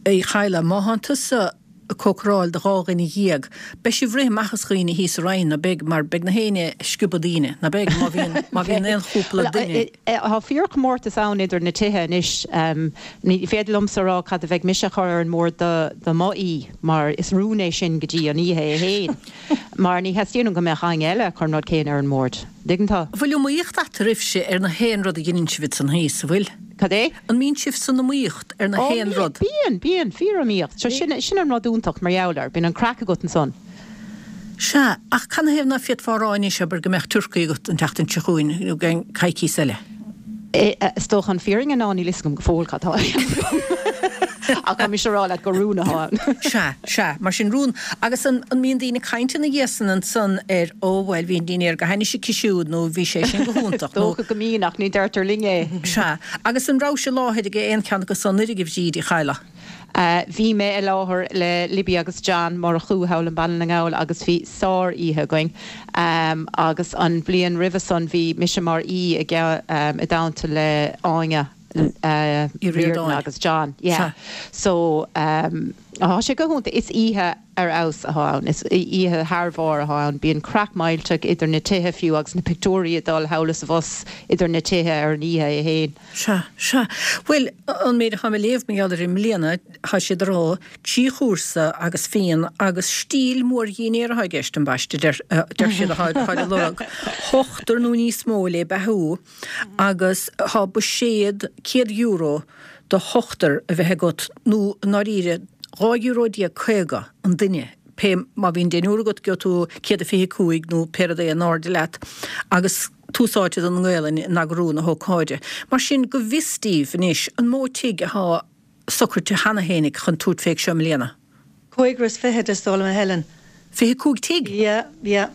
Uí Chadhla, má thánn tusa ag cócaráil do 12 dhuine, beidh sibh rith amach as dhaoine thíos sa Rinn, ná beidh, mar beidh na héinne ag sciobadh daoine, ná beidh, má bhíonn, má bhíonn aon chúpla duine. Tá fíorchomórtas ann idir na tithe anois. Ní féidir liomsa a rá cad a bheidh mise a chur ar an mbord do do mo aoi, mar is rún é sin go dtí an oíche é fhéin, mar ní theastaíonn uaim go mbeadh éinne eile ag cur an rud céanna ar an mbord. Dtuigeann tú? Bhfuil iomaíocht eatarthu ar na haon rud a dheineann sibh san thíos, an bhfuil? Cad é? An mbíonn sibh san iomaíocht ar na haon rud? Bíonn, bíonn, fíor-iomaíocht. So sin, sin an rud iontach mar gheall air, bíonn an craic agat ansan. Sea, ach canathaobh ná féadfá a rá anois, abair, go mbeadh turcaí agat an tseachtain seo chugainn nó i gceann coicíos eile? Is dócha an fírinne ná níl fhios agam go fóill cad tá á dhéanamh agam. Ach tá mise a rá leat gur rún atá ann. Sea, sea, mar sin rún. Agus an, an mbíonn daoine ag caint ina dhiaidh san ansan ar, ó bhuel, bhí an dinnéar go hainnis aici siúd nó bhí sé sin go hiontach nó. Is dócha go mbíonn ach ní deirtear linn é. Sea. Agus an rabhais i láthair ag aon cheann acu san anuraidh, a Bhríd Uí Chadhla? Bhí mé i láthair le Libby agus John Murchú thall i mBaile na nGall agus bhí sár-oíche againn. Agus an bhliain roimhe san bhí mise mar aoi i dteannta le Áine Riordan agus John. Yeah. So tá sé go hiontach. Is oíche ar fheabhas atá ann. Is oíche thar bharr atá ann. Bíonn craic millteach idir na tithe fiú agus na pictiúirí ag dul thall is abhus idir na tithe ar an oíche é fhéin. Sea, sea. Bhuel, an méid atá mé a léamh mar gheall air i mbliana, tá siad ag rá, trí chúrsa agus fíon agus stíl mórdhinnéar atá i gceist, ambaiste, deir siad, atá á lorg, ochtar nó níos mó le beathú agus tá buiséad €100 do hochtar a bheith agat nó i ndáiríre €12 euro 50 an duine, pé má bhíonn deichniúr agat gheobhaidh tú 125 nó pé rud é in airde leat agus tús áite don nGaelainn in eagrú na hócáide. Mar sin, go bhfios daoibh anois, an mó tigh athá socraite cheana fhéinig chun tabhairt féig seo i mbliana? Cúigear is fichead, is dóigh liom, a Helen. 25 tigh? Yeah, yeah,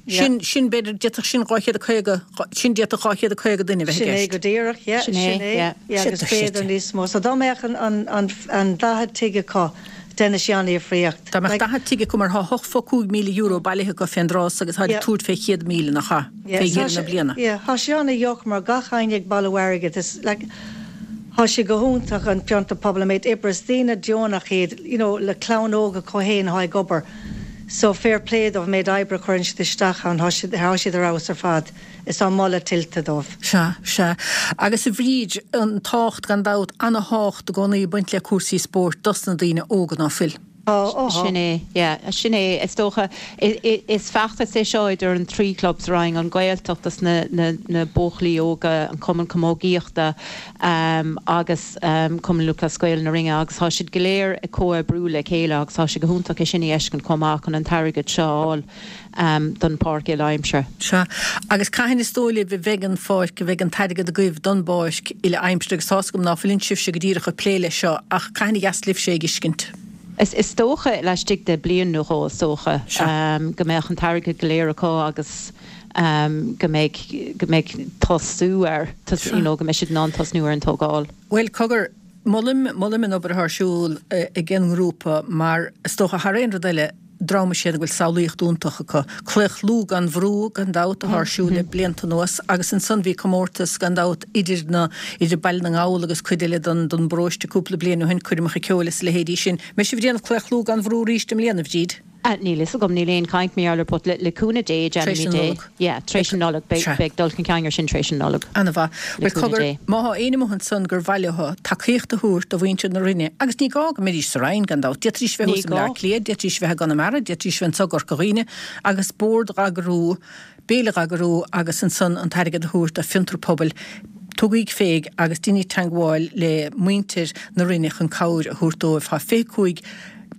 yeah. Sin, sin, b'fhéidir, d'fhéadfadh sin 250, sin d'fhéadfadh 250 duine a bheith i Sin é gceist. go díreach, yeah, Sin é, sin é, yeah. yeah, agus b'fhéidir níos mó. So dá mbeadh an, an, an, an 40 tigh acu, Déanfaidh sé an-difríocht. Dá mbeadh 40 tigh acu mar thá €8.5 míle bailithe acu fén dtráth so agus táid ag tabhairt fé 100,000 nach ea, fé dheireadh na bliana. Yeah, thá sé an-dheacair mar gach éinne ag bailiú airgid is like thá sé go hiontach an Fiontar Pobail an méid oibre is daoine deonach iad you know le clann óg acu fhéin athá ag obair. So fair play dóibh an méid oibre a chuireann siad isteach ann, tá siad, tá siad ar fheabhas ar fad. Is tá moladh tuillte dóibh. Sea, sea. Agus a Bhríd, an tábhacht gan dabht, ana-thábhacht i gcónaí ag baint le cúrsaí spóirt dos na daoine óga, ná fuil? Tá, ó tá. Sin é, yeah, sin é. Is dócha, is feachtas é seo idir an trí chlub sa Rinn, an Ghaeltacht dos na, na, na buachaillí óga, an Cumann Camógaíochta agus Cumann Lúthchleas Gael na Rinne agus tá siad go léir ag comhoibriú le chéile agus tá sé go hiontach é sin a fheiscint chomh maith chun an t-airgead seo a fháil don pháirc uile-aimsire. Sea, agus cathain is dóigh libh a bheidh an pháirc, a bheidh an t-airgead agaibh don bpáirc uile-aimsire agus tá's agam ná fuileann sibhse go díreach ag plé leis seo ach cathain a gheas libhse é a fheiscint? Is dócha laistigh de bliain nó dhó, is dócha, go mbeadh an t-airgead go léir acu agus go mbeidh, go mbeidh tosú air, you know, go mbeidh siad in ann tosnú ar an tógáil. Bhuel, cogar, molaim, molaim an obair atá ar siúl ag an ngrúpa mar is dócha thar aon rud eile, dream is ea iad go bhfuil samhlaíocht iontach acu. Claochlú gan bhrú, gan dabht, atá ar siúl le blianta anuas agus ansan bhí comórtas, gan dabht, idir na, idir Baile na nGall agus cuid eile den, den bparóiste cúpla bliain ó shin, coirmeacha ceoil is a leithéidí sin. Mbeidh sibh ag déanamh claochlú gan bhrú arís i mbliana, a Bhríd? Níl fhios agam, níl aon chaint mar gheall air but le, le cúnamh Dé, Tar éis déanaimid na é. Nollag. Yeah, tar éis na Nollag, beidh, Sea. beidh dul chun cinn air sin tar éis na Nollag. Ana-mhaith. Le Bhuel, cúnamh cogar, Dé. má thá éinne amuigh ansan gur mhaith leo tacaíocht a thabhairt do mhuintir na Rinne, agus ní gá go mbeidís sa Rinn, gan dabht, d'fhéadfaidís bheith Ní thuas i mBleá gá. Cliath, d'fhéadfaidís bheith i gConamara, d'fhéadfaidís bheith anso i gCorca Dhuibhne, agus bord dh'eagrú, béile dh'eagrú agus ansan an t-airgead a thabhairt do Fiontar Pobail, tugaíg féig agus deinigí teangmháil le muintir na Rinne chun cabhair a thabhairt dóibh. Thá 25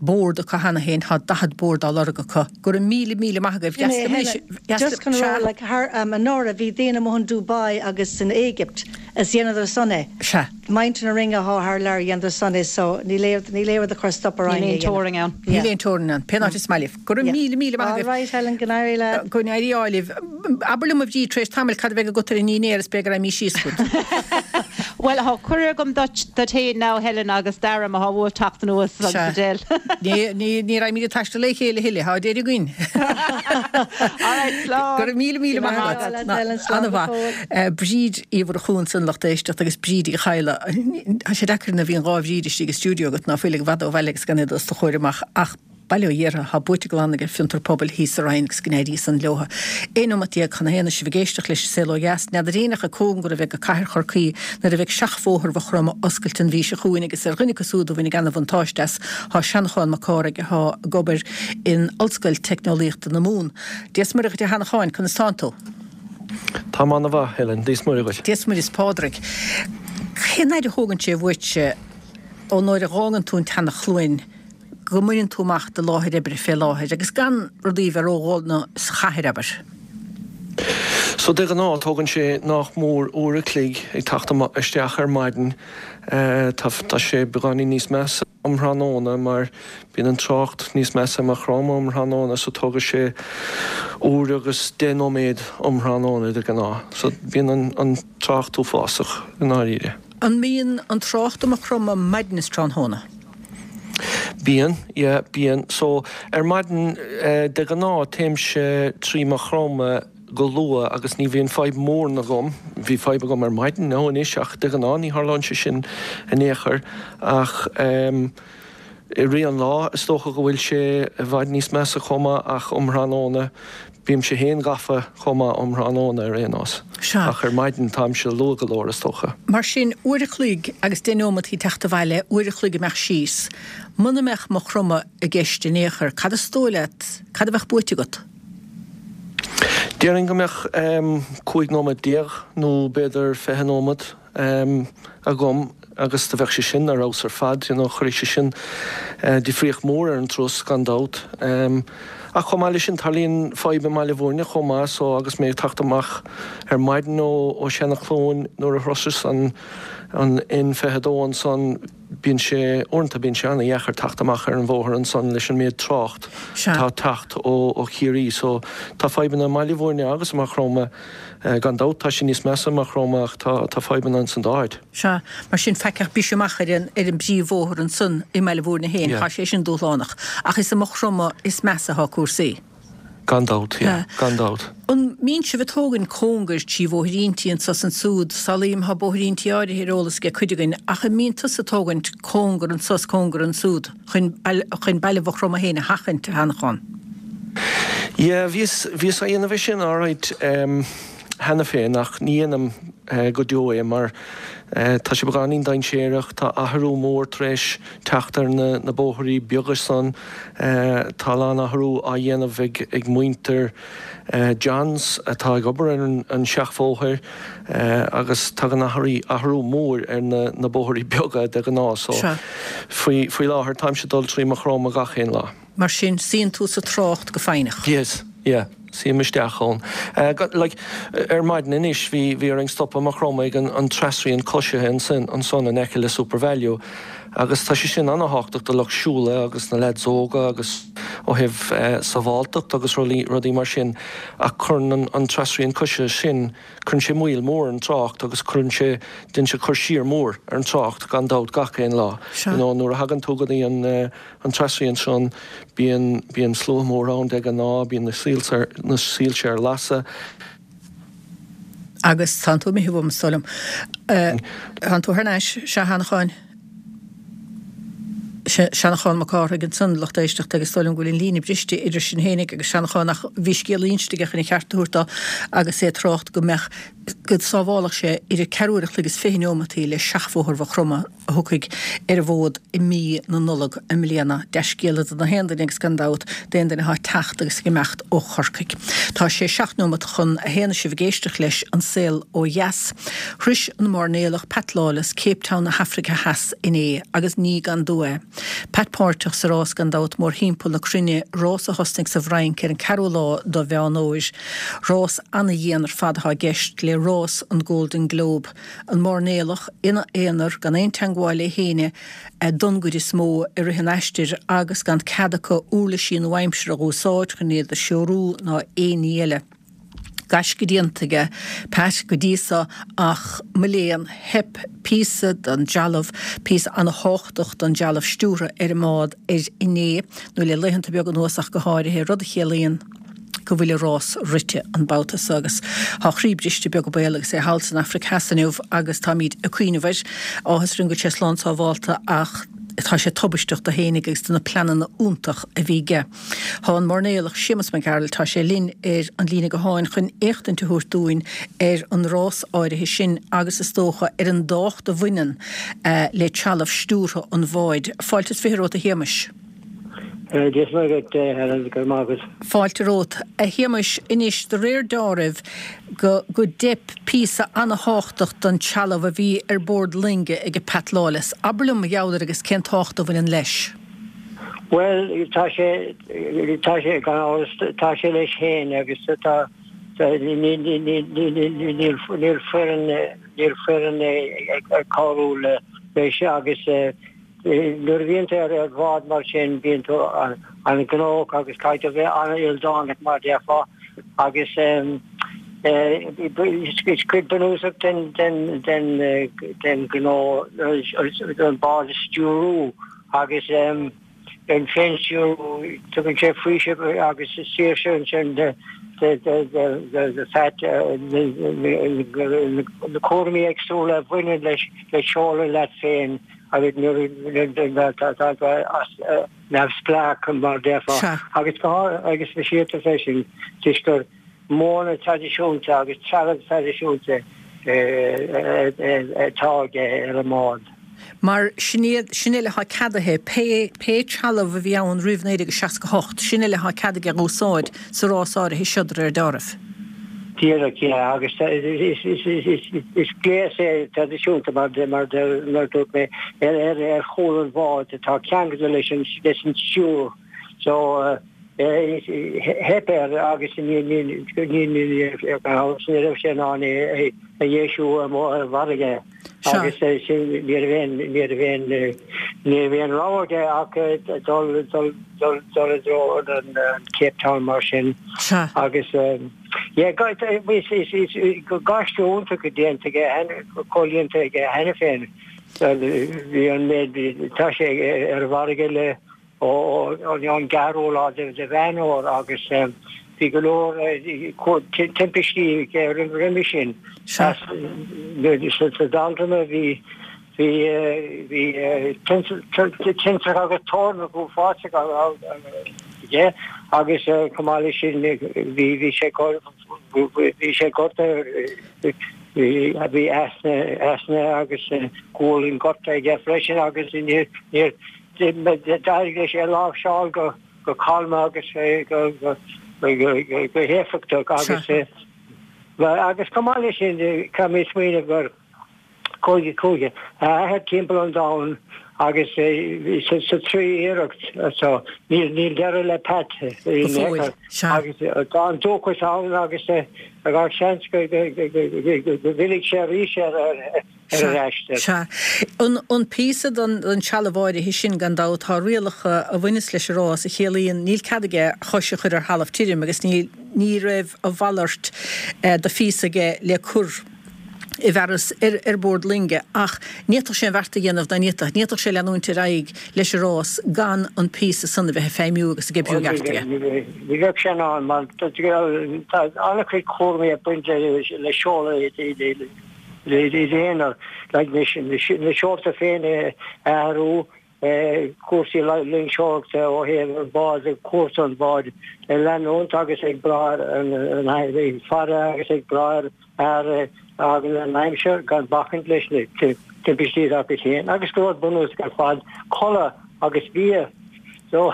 bord acu cheana féin, thá 40 bord á lorg acu. Go raibh míle, míle maith agaibh. Sin é, Helen, just chun a rá, like, thar, anuraidh bhí daoine amuigh in Dubai agus san Éigipt is dheineadar san é. Sea. Muintir na Rinne athá thar lear dheineadar san é so níl aon, níl aon rud a chuir stop orainn Níl é aon a dhéanamh. teorainn ann. Níl aon teorainn ann. Pén áit is maith libh. Go raibh míle, míle maith agaibh. All right, Helen, go n-éirí leat. Go n-éirí ádh libh. Abair liom, a Bhríd, tar éis tamaill, cad a bheidh agat ar an ndinnéar is b'fhéidir go raghaidh mé síos chugat. Bhuel, thá cuireadh agam duit, duit fhéin now, Helen, agus Dara, má thá uaibh teacht anuas agus Sea. Adele. Ní, ní, ní raghaimid ag taisteal le chéile a thuilleadh, thá deireadh againn. All right, slán. Go raibh míle, míle maith agat. Go raibh maith agat, Helen, slán go An-mhaith. fóill. Bríd Uí Mhurchú ansan, lucht éisteachta, agus Bríd Uí Chadhla. Tá sé deacair nuair a bhíonn 2 Bhríd istigh i stiúideo agat, ná fuil i bhfad ó bhaile agus gan iad os do chomhair amach ach, Bail ó Dhia orthu, thá buaite glan ag Fiontar Pobail thíos sa Rinn agus go n-éirí san leotha. 11 nóimeat chun a haon is sibh ag éisteacht leis an Saol Ó Dheas. N'fheadar éinne acu cóngar a bheidh go cathair Chorcaí nuair a bheidh seachbhóthar Mhaigh Chromtha oscailte an mhí seo chugainn agus ar dhuine acu súd a bhainfidh ana-bhuntáiste as thá Seanchán Mac Cárthaigh athá ag obair in Ollscoil Teicneolaíochta na Mumhan. Dia 's Muire dhuit a Sheanacháin, conas tánn tú? Táim ana-mhaith, Helen. Dia 's Muire dhuit. Dia 's Muire is Pádraig. Cén fhaid a thógann sé uaitse ón uair a dh'fhágann tú an tSeana-Chluain go mbaineann tú amach do láthair oibre fé láthair agus gan rudaí a bheith ródhona sa chathair, abair. So de ghnáth tógann sé nách mór uair a chloig ag teacht isteach ar maidin. Tá tá sé beagáinín níos measa um thráthnóna mar bíonn an trácht níos measa i Maigh Chromtha um thráthnóna so tógfaidh sé uair agus deich nóiméad um thráthnóna de ghnáth. So bíonn an an trácht uafásach i ndáiríre. An mbíonn an trácht i Maigh Chromtha maidin is tráthnóna? Bíonn, yeah, bíonn. So, ar maidin, de ghnáth, téimse trí Maigh Chromtha go luath agus ní bhíonn fadhb mór agam. Bhí fadhb agam ar maidin now anois ach de ghnáth ní tharlaíonn sé sin in aon chor. Ach em, i rith an lá is dócha go bhfuil sé i bhfad níos measa chomh maith ach um thráthnóna Bímse féin gafa chomh maith um thráthnóna ar aon nós. Sea. Ach ar maidin táimse luath go leor is dócha. Mar sin, uair a chloig agus deich neomataí teacht abhaile, uair a chloig imeacht síos. Muna mbeadh Maigh Chromtha i gceist in aon chor, cad is dóigh leat, cad a bheadh buaite agat? Déarfainn go mbeadh 15 nóiméad nó b'fhéidir 20 nóiméad. agam agus do bheadh sé sin ar fheabhas ar fad, you know, chuirfeadh sé sin difríocht mhór ar an turas gan dabht. Ach chomh maith leis sin, tarlaíonn fadhb i mBaile Bhúirne chomh maith so agus mé ag teacht amach ar maidin ó Sheanadh Cluain nuair a shroiseas an an N22 ansan, bíonn sé, uaireanta bíonn sé ana-dheacair teacht amach ar an bhóthar ansan leis an méid trácht atá ag teacht ó Chiarraí so tá fadhbanna i mBaile Bhúirne agus i Maigh Chromtha. Gan dabht tá sé níos measa i Maigh Chromtha ach tá tá fadhbanna ins an dá áit. Sea, mar sin faic ach briseadh amach ar an ar an bpríomhbhóthar ansan i mBaile Bhúirne féin, Yeah. tá sé sin dúshlánach. Ach is i Maigh Chromtha is measa atá cúrsaí. Gan dabht, yeah, Yeah. gan dabht. An mbíonn sibh ag tógaint cóngair trí bhóithríntí anso 's ansúd, samhlaím tá bóithríntí áirithe ar eolas ag cuid againn, ach an mbíonn tusa ag tógaint cóngar anso 's cóngar ansúd chun chun baile Mhaigh Chromtha féin a sheachaint, a Sheanchán? Yeah, bhíos, bhíos á dhéanamh é sin alright cheana féin ach ní dhéanaim go deo é mar tá sé beagáinín dainséarach, tá athrú mór tar éis teacht ar na, na bóithrí beaga san, tá a lán athrú á dhéanamh ag, ag muintir Johns atá ag obair ar an, an seachbhóthar agus tagann athrú, athrú mór ar na, na bóithrí beaga de ghnáth so faoi, faoi láthair táimse ag dul trí Maigh Chromtha gach aon lá. Mar sin, suíonn tú sa trácht go foighneach. Yes, yeah, suím isteach ann. Like, ar maidin anois, bhí, bhí orainn stopadh i Maigh Chromtha ag an, an trasrian coisithe ansin, ansan in aice le Supervalu agus tá sé sin ana-thábhachtach do lucht siúla agus na leaids óga agus ó thaobh sábháltacht agus rudaí, rudaí mar sin ach cuireann an, an trasrian coisithe sin, cuireann sé moill mhór ar an trácht agus cuireann sé, déanann sé cur siar mór ar an trácht gan dabht gach aon lá. Sea. You know, nuair a thagann tú go dtí an. An trasrian san, bíonn, bíonn slua mór ann de ghnáth, bíonn na soilse, na soilse ar lasadh. Agus tánn tú imithe uaim, is dóigh liom. Tánn tú thar n-ais, sea, a Sheanacháin. Seanachán Mac Cárthaigh ansan, lucht éisteachta, agus is dóigh liom go bhfuil an líne briste idir sinn fhéinig agus Seanachán ach bhí scéal á inst aige chun a cheart a thabhairt dó agus é ag trácht go mbeadh, go sábhálfadh sé idir ceathrú uair a chloig is 20 neomataí le seachbhóthar Mhaigh Chromtha. a thiocfaidh ar an bhfód i mí na Nollag i mbliana. Dea-scéala do na haon duine agus gan dabht d'aon duine atá ag teacht agus ag imeacht ó Chorcaigh. Tá sé 7 neomat chun a haon is sibh ag éisteacht leis An Saol Ó Dheas. Shrois an mairnéalach Pat Lawless Cape Town na hAfraice Theas inné agus ní gan dua é. Pat páirteach sa rás gan dabht mórthimpeall na cruinne, rás a thosnaigh sa bhFrainc ar an ceathrú lá do Mheán Fhómhair. Rás ana-dhian ar fad atá i gceist le rás an Golden Globe. An mairnéalach ina aonar gan aon teangmháil le héinne don gcuid is mó i rith an aistir agus gan cead acu uirlisí nua-aimseartha a dh'úsáid chun iad a threorú ná aon ní eile. Gaisce déanta aige Pat go dtí so ach mo léan, theip píosa den dealbh, píosa ana-thábhachtach den dealbh stiúrtha ar an mbád air inné, nó le laethanta beaga anuas ach go háirithe, rud a chiallaíonn. go bhfuil a rás rite an babhta so agus tá a chroí briste beag an baol agus é thall san Afraic Theas inniu agus táimíd ag cuimhneamh air. Áthas orainn go bhfuil sé slán sábhálta ach tá sé tubaisteach do fhéinig agus do na pleananna iontach a bhí aige. Tá an mairnéalach Séamus Mac Gearailt, tá sé linn ar an líne gutháin chun éachtaint a thabhairt dúinn ar an rás áirithe sin agus is dócha ar an dtábhacht a bhaineann le trealamh stiúrtha an bháid. Fáilte is fiche romhat a Shéamais. Dia is Muire dhuit, a Helen, go raibh maith agat. Fáilte romhat. A Shéamais, anois, de réir deáraimh, go go dteip píosa ana-thábhachtach den trealamh a bhí ar bord loinge ag Pat Lawless. Abair liom mar gheall air agus cén tábhacht a bhaineann leis. Bhuel, tá sé, tá sé, gan amhras, tá sé leis féin agus tá, níl, níl foireann, níl foireann ag cabhrú leis agus, Nuair a bhíonn tú ar bhád mar sin bíonn tú an-ghnóthach agus caithfidh tú a bheith an-ildánach mar a déarfá agus is cuid bunúsach den ghnó an bád a stiúrú agus an féinstiúrú, tugann sé faoiseamh agus saoirse ansin do Phat na cúraimí éagsúla a bhaineann leis le seoladh leat féin. agus nuair tá tú neamhspleách mar a déarfá. Agus go agus speisialta freisin toisc gur modhanna traidisiúnta agus trealamh traidisiúnta atá aige ar an mbád. Mar sin iad, sin uile atá ceadaithe, pé pé trealamh a bhí ann roimh 1968, sin uile atá cead aige a úsáid sa rás áirithe seo de réir deáraimh. Díreach, yeah, agus is gléas é traidisiúnta mar dúirt mé ar chúl an bháid atá ceangailte leis an stiúir. So theip air agus ní raibh sé in ann é a dheisiú ar an bhfarraige. Agus sin, ní raibh aon, ní raibh aon, ní raibh aon rogha aige ach dul, dul, dul, dul i dtreo an Cape Town mar sin. Agus yeah, is, is, is gaisce iontach déanta aige, comhlíonta aige cheana féin. Bhí an méid, tá sé ar an bhfarraige le ón gceathrú lá de Mheán Fhómhair agus bhí go leor timpistí aige roimhe sin. Sa Bealtaine bhí bhí tintreach agus toirneach uafásach ann. aige agus chomh maith leis sin bhí bhí sé bhí sé gortaithe bhí easna easna agus gualainn gortaithe aige freisin agus níor níor d'éirigh leis é a láimhseáil go go calma agus go go go héifeachtach agus agus chomh maith leis sin caithfidh mé smaoineamh gur Chuaigh chuaigh a athair timpeall an domhain agus sa tríú iarracht so níl níl deireadh le Pat Go fóill, sea. Agus tá an dóchas ann agus gach seans go go go go go bhfillfidh sé arís ar ar ar an aistear. Sea. An an píosa den den trealamh áirithe sin gan dabht tá rialacha a bhaineas leis an rás a chiallaíonn níl cead aige a chois a chur ar thalamh tirim agus ní ní raibh a mhalairt de phíosa aige le cur i bhfearas ar bord loinge ach ní fhéadfadh sé an bheart a dhéanamh ná ní fhéadfadh, ní fhéadfadh sé leanúint ar aghaidh leis an rás gan an píosa san a bheith ag feidhmiú agus ag oibriú i gceart aige. Ní bheadh sé in ann mar tá an-chuid cúraimí ag baint le seoladh iad aonair, like na seolta féin a athrú, cúrsaí loingseoireachta ó thaobh an bád, cúrsa an bháid a leanúint agus ag brath ar an faire agus ag brath ar ar an aimsir gan bacaint leis na timpistí atá acu féin agus go rud bunúsach ar fad, codladh agus bia. So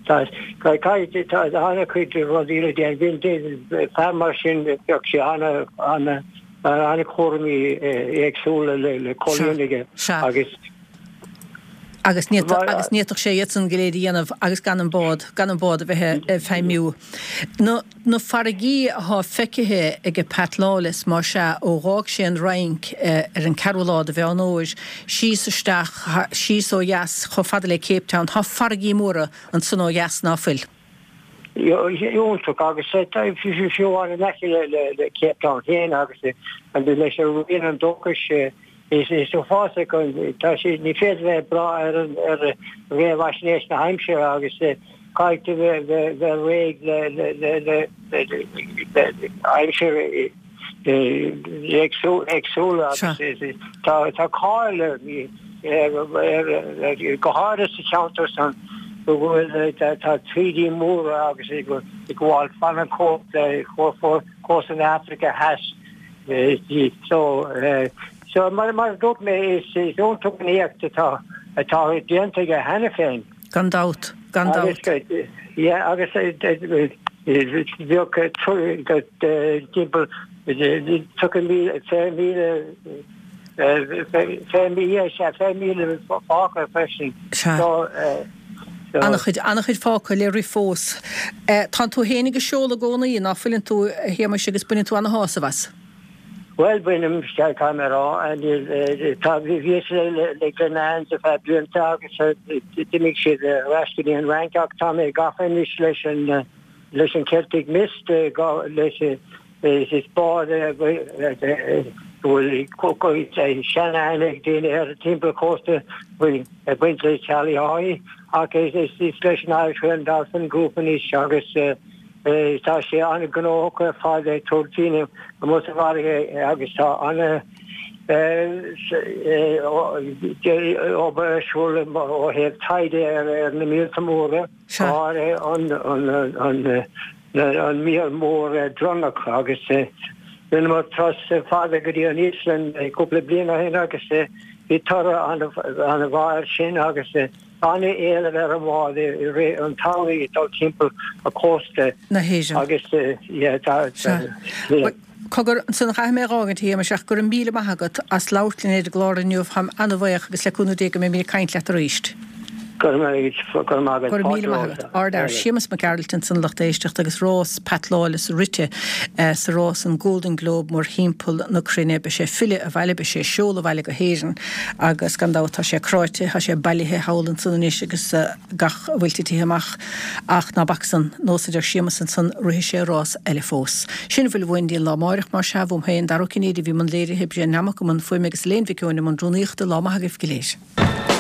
tá tá an-chuid rudaí le déanamh. Bíonn fear mar sin bheadh sé ana ana an-chúraimí éagsúla le comhlíonadh aige agus Agus ní agus ní fhéadfadh sé iad san go léir a dhéanamh agus gan an bád, gan an bád a bheith ag feidhmiú. Na, na farraigí athá feicithe aige Pat Lawless, más ea, ó dh'fhág sé an Fhrainc ar an ceathrú lá de Mheán Fhómhair, síos isteach, síos ó dheas chomh fada le Cape Town, tá farraigí móra ansan ó dheas ná fuil? Iontach agus fiú amháin in aice le Cape Town féin agus leis an Rian an Dóchais is uafásach an tá sé ní féidir bheith ag brath ar an ar réamhaisnéis na haimsire agus caithfidh tú bheith bheith réidh le le le le aimsir éagsúla agus tá tá cáil ar go háirithe sa cheantar san go bhfuil tá taoidí móra agus ag gabháil fan an chósta na hAfraice Theas. So so mar a dúirt mé is iontach an éacht atá atá déanta aige cheana féin. Gan dabht, gan dabht. Agus yeah agus bheadh timpeall 30,000, 20,000 20,000 fágtha freisin. Sea. An-chuid, an-chuid fágtha le rith fós. Tánn tú féin ag seoladh i gcónaí, ná fuileann tú, a Shéamais, agus baineann tú ana-shásamh as? Bhuel, bainim, caithfidh mé a rá. Tá, bhíos le Glenane's ar feadh blianta agus d'imigh siad ar ais go dtí an Fhrainc ach tá mé gafa anois leis an, leis an Celtic Mist, leis Is bád é go bhfuil seanaithne ag daoine air timpeall cósta ag baint le Charlie Haughey ach is leis an Irish Whale and Dolphin Group anois agus tá sé an-ghnóthach ar fad ag tabhairt daoine amuigh sa bhfarraige agus tá ana obair ar siúl ó thaobh taighde ar na míolta móra. Sea. Áirithe an míol mór dronnach agus rinneamar turas fada go dtí an Íoslainn cúpla bliain ó shin agus bhí toradh an-mhaith air sin agus an-éileamh ar an bhád i rith an tsamhraidh ag dul timpeall an chósta na hÉireann. Agus yeah tá Sea. Cogar, ansan caithfidh mé a dh'fhágaint, a Shéamais, ach go raibh míle maith agat as labhairt linn ar an gclár inniu. Táim ana-bhaoch agus le cúnamh Dé go mbeimid ag caint leat arís. Go raibh maith agat. Go raibh míle maith agat. Ardfhear. Séamus Mac Gearailt ansan a lucht éisteachta agus rás Pat Lawless rite sa rás an Golden Globe mórthimpeall na cruinne. Beidh sé ag filleadh abhaile, beidh sé ag seoladh abhaile go hÉirinn agus gan dabht tá sé cráite, tá sé bailithe thall ansan anois agus gach a bhfuil titithe amach. Ach ná bac san, nós a deir Séamus ansan, rithfidh sé rás eile fós. Sin a bhfuil uainn dtí an lá amáireach, más ea, uaim féin, Dara Ó Cinnéide a bhí i mbun léirithe, Brian Nammock i mbun fuaime agus Elaine Mhic Eoin i mbun rúnaíochta, lá maith agaibh go léir.